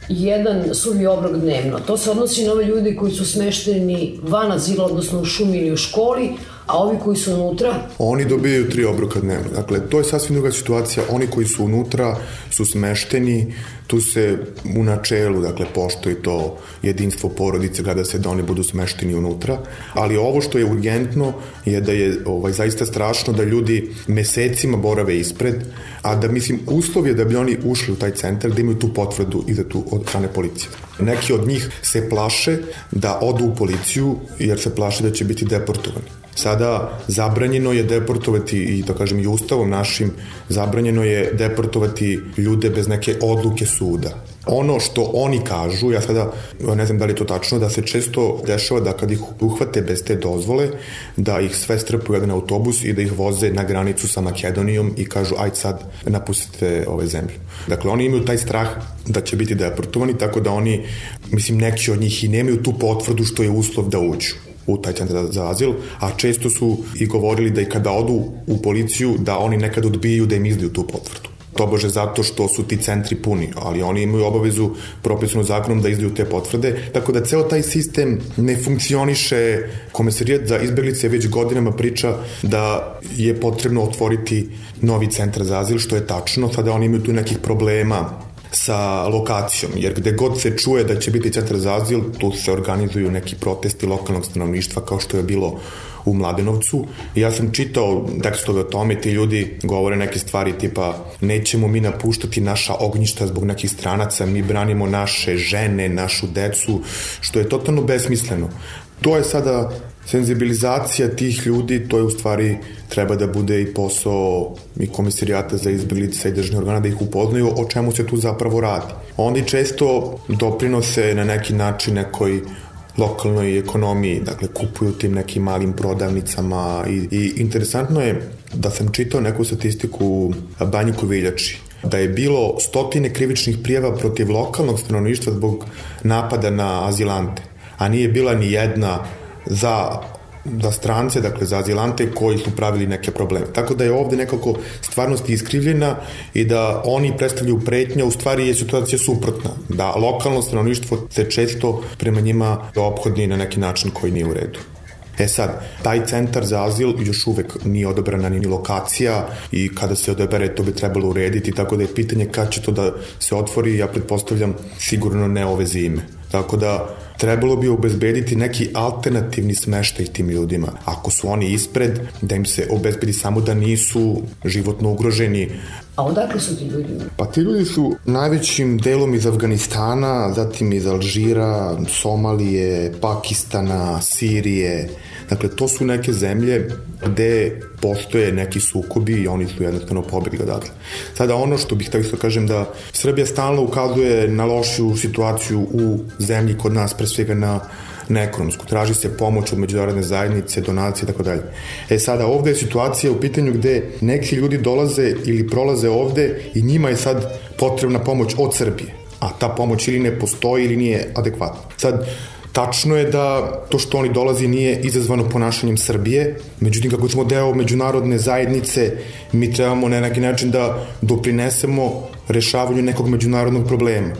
[SPEAKER 4] jedan suvi obrok dnevno, to se odnosi na ove ljudi koji su smešteni van azila, odnosno u šumi ili u školi, a ovi koji su unutra?
[SPEAKER 6] Oni dobijaju 3 obroka dnevno. Dakle, to je sasvim druga situacija. Oni koji su unutra su smešteni, tu se u načelu, dakle, poštuje to jedinstvo porodice, gleda se da oni budu smešteni unutra, ali ovo što je urgentno je da je zaista strašno da ljudi mesecima borave ispred, a da, mislim, uslov je da bi oni ušli u taj centar, da imaju tu potvrdu izdatu od strane policije. Neki od njih se plaše da odu u policiju jer se plaše da će biti deportovani. Sada zabranjeno je deportovati i, da kažem, i ustavom našim zabranjeno je deportovati ljude bez neke odluke suda. Ono što oni kažu, ja sada ne znam da li je to tačno, da se često dešava da kad ih uhvate bez te dozvole, da ih sve strpaju jedan autobus i da ih voze na granicu sa Makedonijom i kažu ajde sad napustite ove zemlje. Dakle, oni imaju taj strah da će biti deportovani, tako da oni, mislim, neki od njih i nemaju tu potvrdu što je uslov da uđu u taj centar za azil, a često su i govorili da i kada odu u policiju, da oni nekad odbijaju da im izdaju tu potvrdu. tobože zato što su ti centri puni, ali oni imaju obavezu propisanu zakonom da izdaju te potvrde, tako da ceo taj sistem ne funkcioniše. Komesarijat za izbeglice već godinama priča da je potrebno otvoriti novi centar za azil, što je tačno, sada oni imaju tu nekih problema sa lokacijom, jer gde god se čuje da će biti centar za azil, tu se organizuju neki protesti lokalnog stanovništva, kao što je bilo u Mladenovcu. Ja sam čitao tekstove o tome, ti ljudi govore neke stvari tipa nećemo mi napuštati naša ognjišta zbog nekih stranaca, mi branimo naše žene, našu decu, što je totalno besmisleno. To je sada senzibilizacija tih ljudi, to je u stvari treba da bude i posao i Komesarijata za izbeglice i državnih organa da ih upoznaju o čemu se tu zapravo radi. Oni često doprinose na neki način nekoj lokalnoj ekonomiji, dakle kupuju tim nekim malim prodavnicama i interesantno je da sam čitao neku statistiku u Banji Koviljači, da je bilo stotine krivičnih prijava protiv lokalnog stanovništva zbog napada na azilante, a nije bila ni jedna za strance, dakle za azilante koji su pravili neke probleme. Tako da je ovde nekako stvarnost iskrivljena i da oni predstavljaju pretnje, u stvari je situacija suprotna, da lokalno stanovništvo se često prema njima ophodi na neki način koji nije u redu. Sad, taj centar za azil još uvek nije odabrana ni lokacija i kada se odabere to bi trebalo urediti, tako da je pitanje kad će to da se otvori, ja pretpostavljam sigurno ne ove zime. Tako da trebalo bi obezbediti neki alternativni smeštaj tim ljudima. Ako su oni ispred, da im se obezbedi samo da nisu životno ugroženi.
[SPEAKER 4] A odakle su ti ljudi?
[SPEAKER 6] Pa ti ljudi su najvećim delom iz Afganistana, zatim iz Alžira, Somalije, Pakistana, Sirije. Dakle, to su neke zemlje gde postoje neki sukobi i oni su jednostavno pobegli odatle. Sada ono što bih tako kažem da Srbija stalno ukazuje na lošu situaciju u zemlji kod nas, pre svega na ekonomsku. Traži se pomoć od međunarodne zajednice, donacije i tako dalje. Sada ovde je situacija u pitanju gde neki ljudi dolaze ili prolaze ovde i njima je sad potrebna pomoć od Srbije, a ta pomoć ili ne postoji ili nije adekvatna. Sad, tačno je da to što oni dolazi nije izazvano ponašanjem Srbije, međutim kako smo deo međunarodne zajednice, mi trebamo na neki način da doprinesemo rešavanju nekog međunarodnog problema.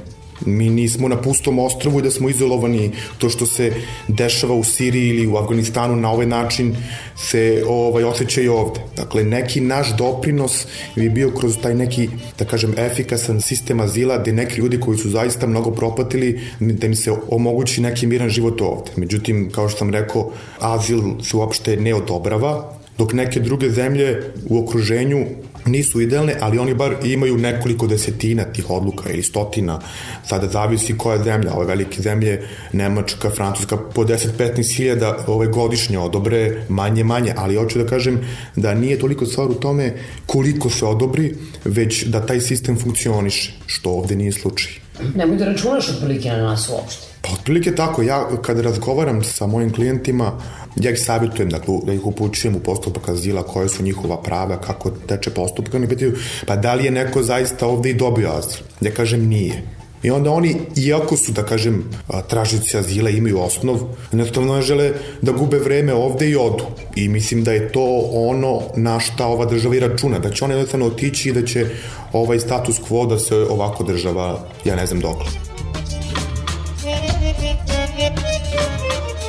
[SPEAKER 6] Mi nismo na pustom ostrvu i da smo izolovani. To što se dešava u Siriji ili u Afganistanu na ovaj način se osjeća i ovde. Dakle, neki naš doprinos bi bio kroz taj neki, da kažem, efikasan sistem azila gde neki ljudi koji su zaista mnogo propatili, da im se omogući neki miran život ovde. Međutim, kao što sam rekao, azil se uopšte ne odobrava, dok neke druge zemlje u okruženju nisu idealne, ali oni bar imaju nekoliko desetina tih odluka ili stotina, sada zavisi koja zemlja, ove velike zemlje, Nemačka, Francuska, po 10-15 hiljada godišnje odobre, manje, ali hoću da kažem da nije toliko stvar u tome koliko se odobri, već da taj sistem funkcioniše, što ovde nije slučaj.
[SPEAKER 4] Nemoj da računaš otprilike na nas uopšte.
[SPEAKER 6] Pa otprilike tako, ja kada razgovaram sa mojim klijentima, ja ih savjetujem da ih upućujem u postupak azila, koje su njihova prava, kako teče postupak, oni pitaju, pa da li je neko zaista ovde i dobio azil? Ja kažem nije. I onda oni, iako su, da kažem, tražioci azila, imaju osnov, jednostavno ne žele da gube vreme ovde i odu. I mislim da je to ono na šta ova država i računa, da će oni jednostavno otići i da će ovaj status quo da se ovako država, ja ne znam dokle.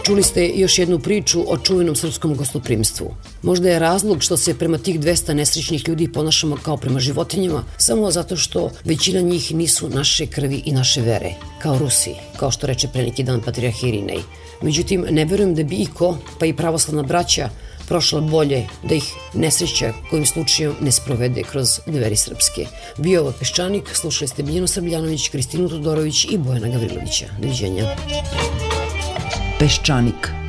[SPEAKER 4] Čuli ste još jednu priču o čuvenom srpskom gostoprimstvu. Možda je razlog što se prema tih 200 nesrećnih ljudi ponašamo kao prema životinjama, samo zato što većina njih nisu naše krvi i naše vere, kao Rusi, kao što reče pre neki dan patrijarh Irinej. Međutim, ne verujem da bi iko, pa i pravoslavna braća, prošla bolje da ih nesreća kojim slučajem ne sprovede kroz dveri srpske. Bio ovo Peščanik, slušali ste Biljanu Srbljanović, Kristinu Todorović i Bojana Gavrilovića. Doviđenja.
[SPEAKER 7] Peščanik.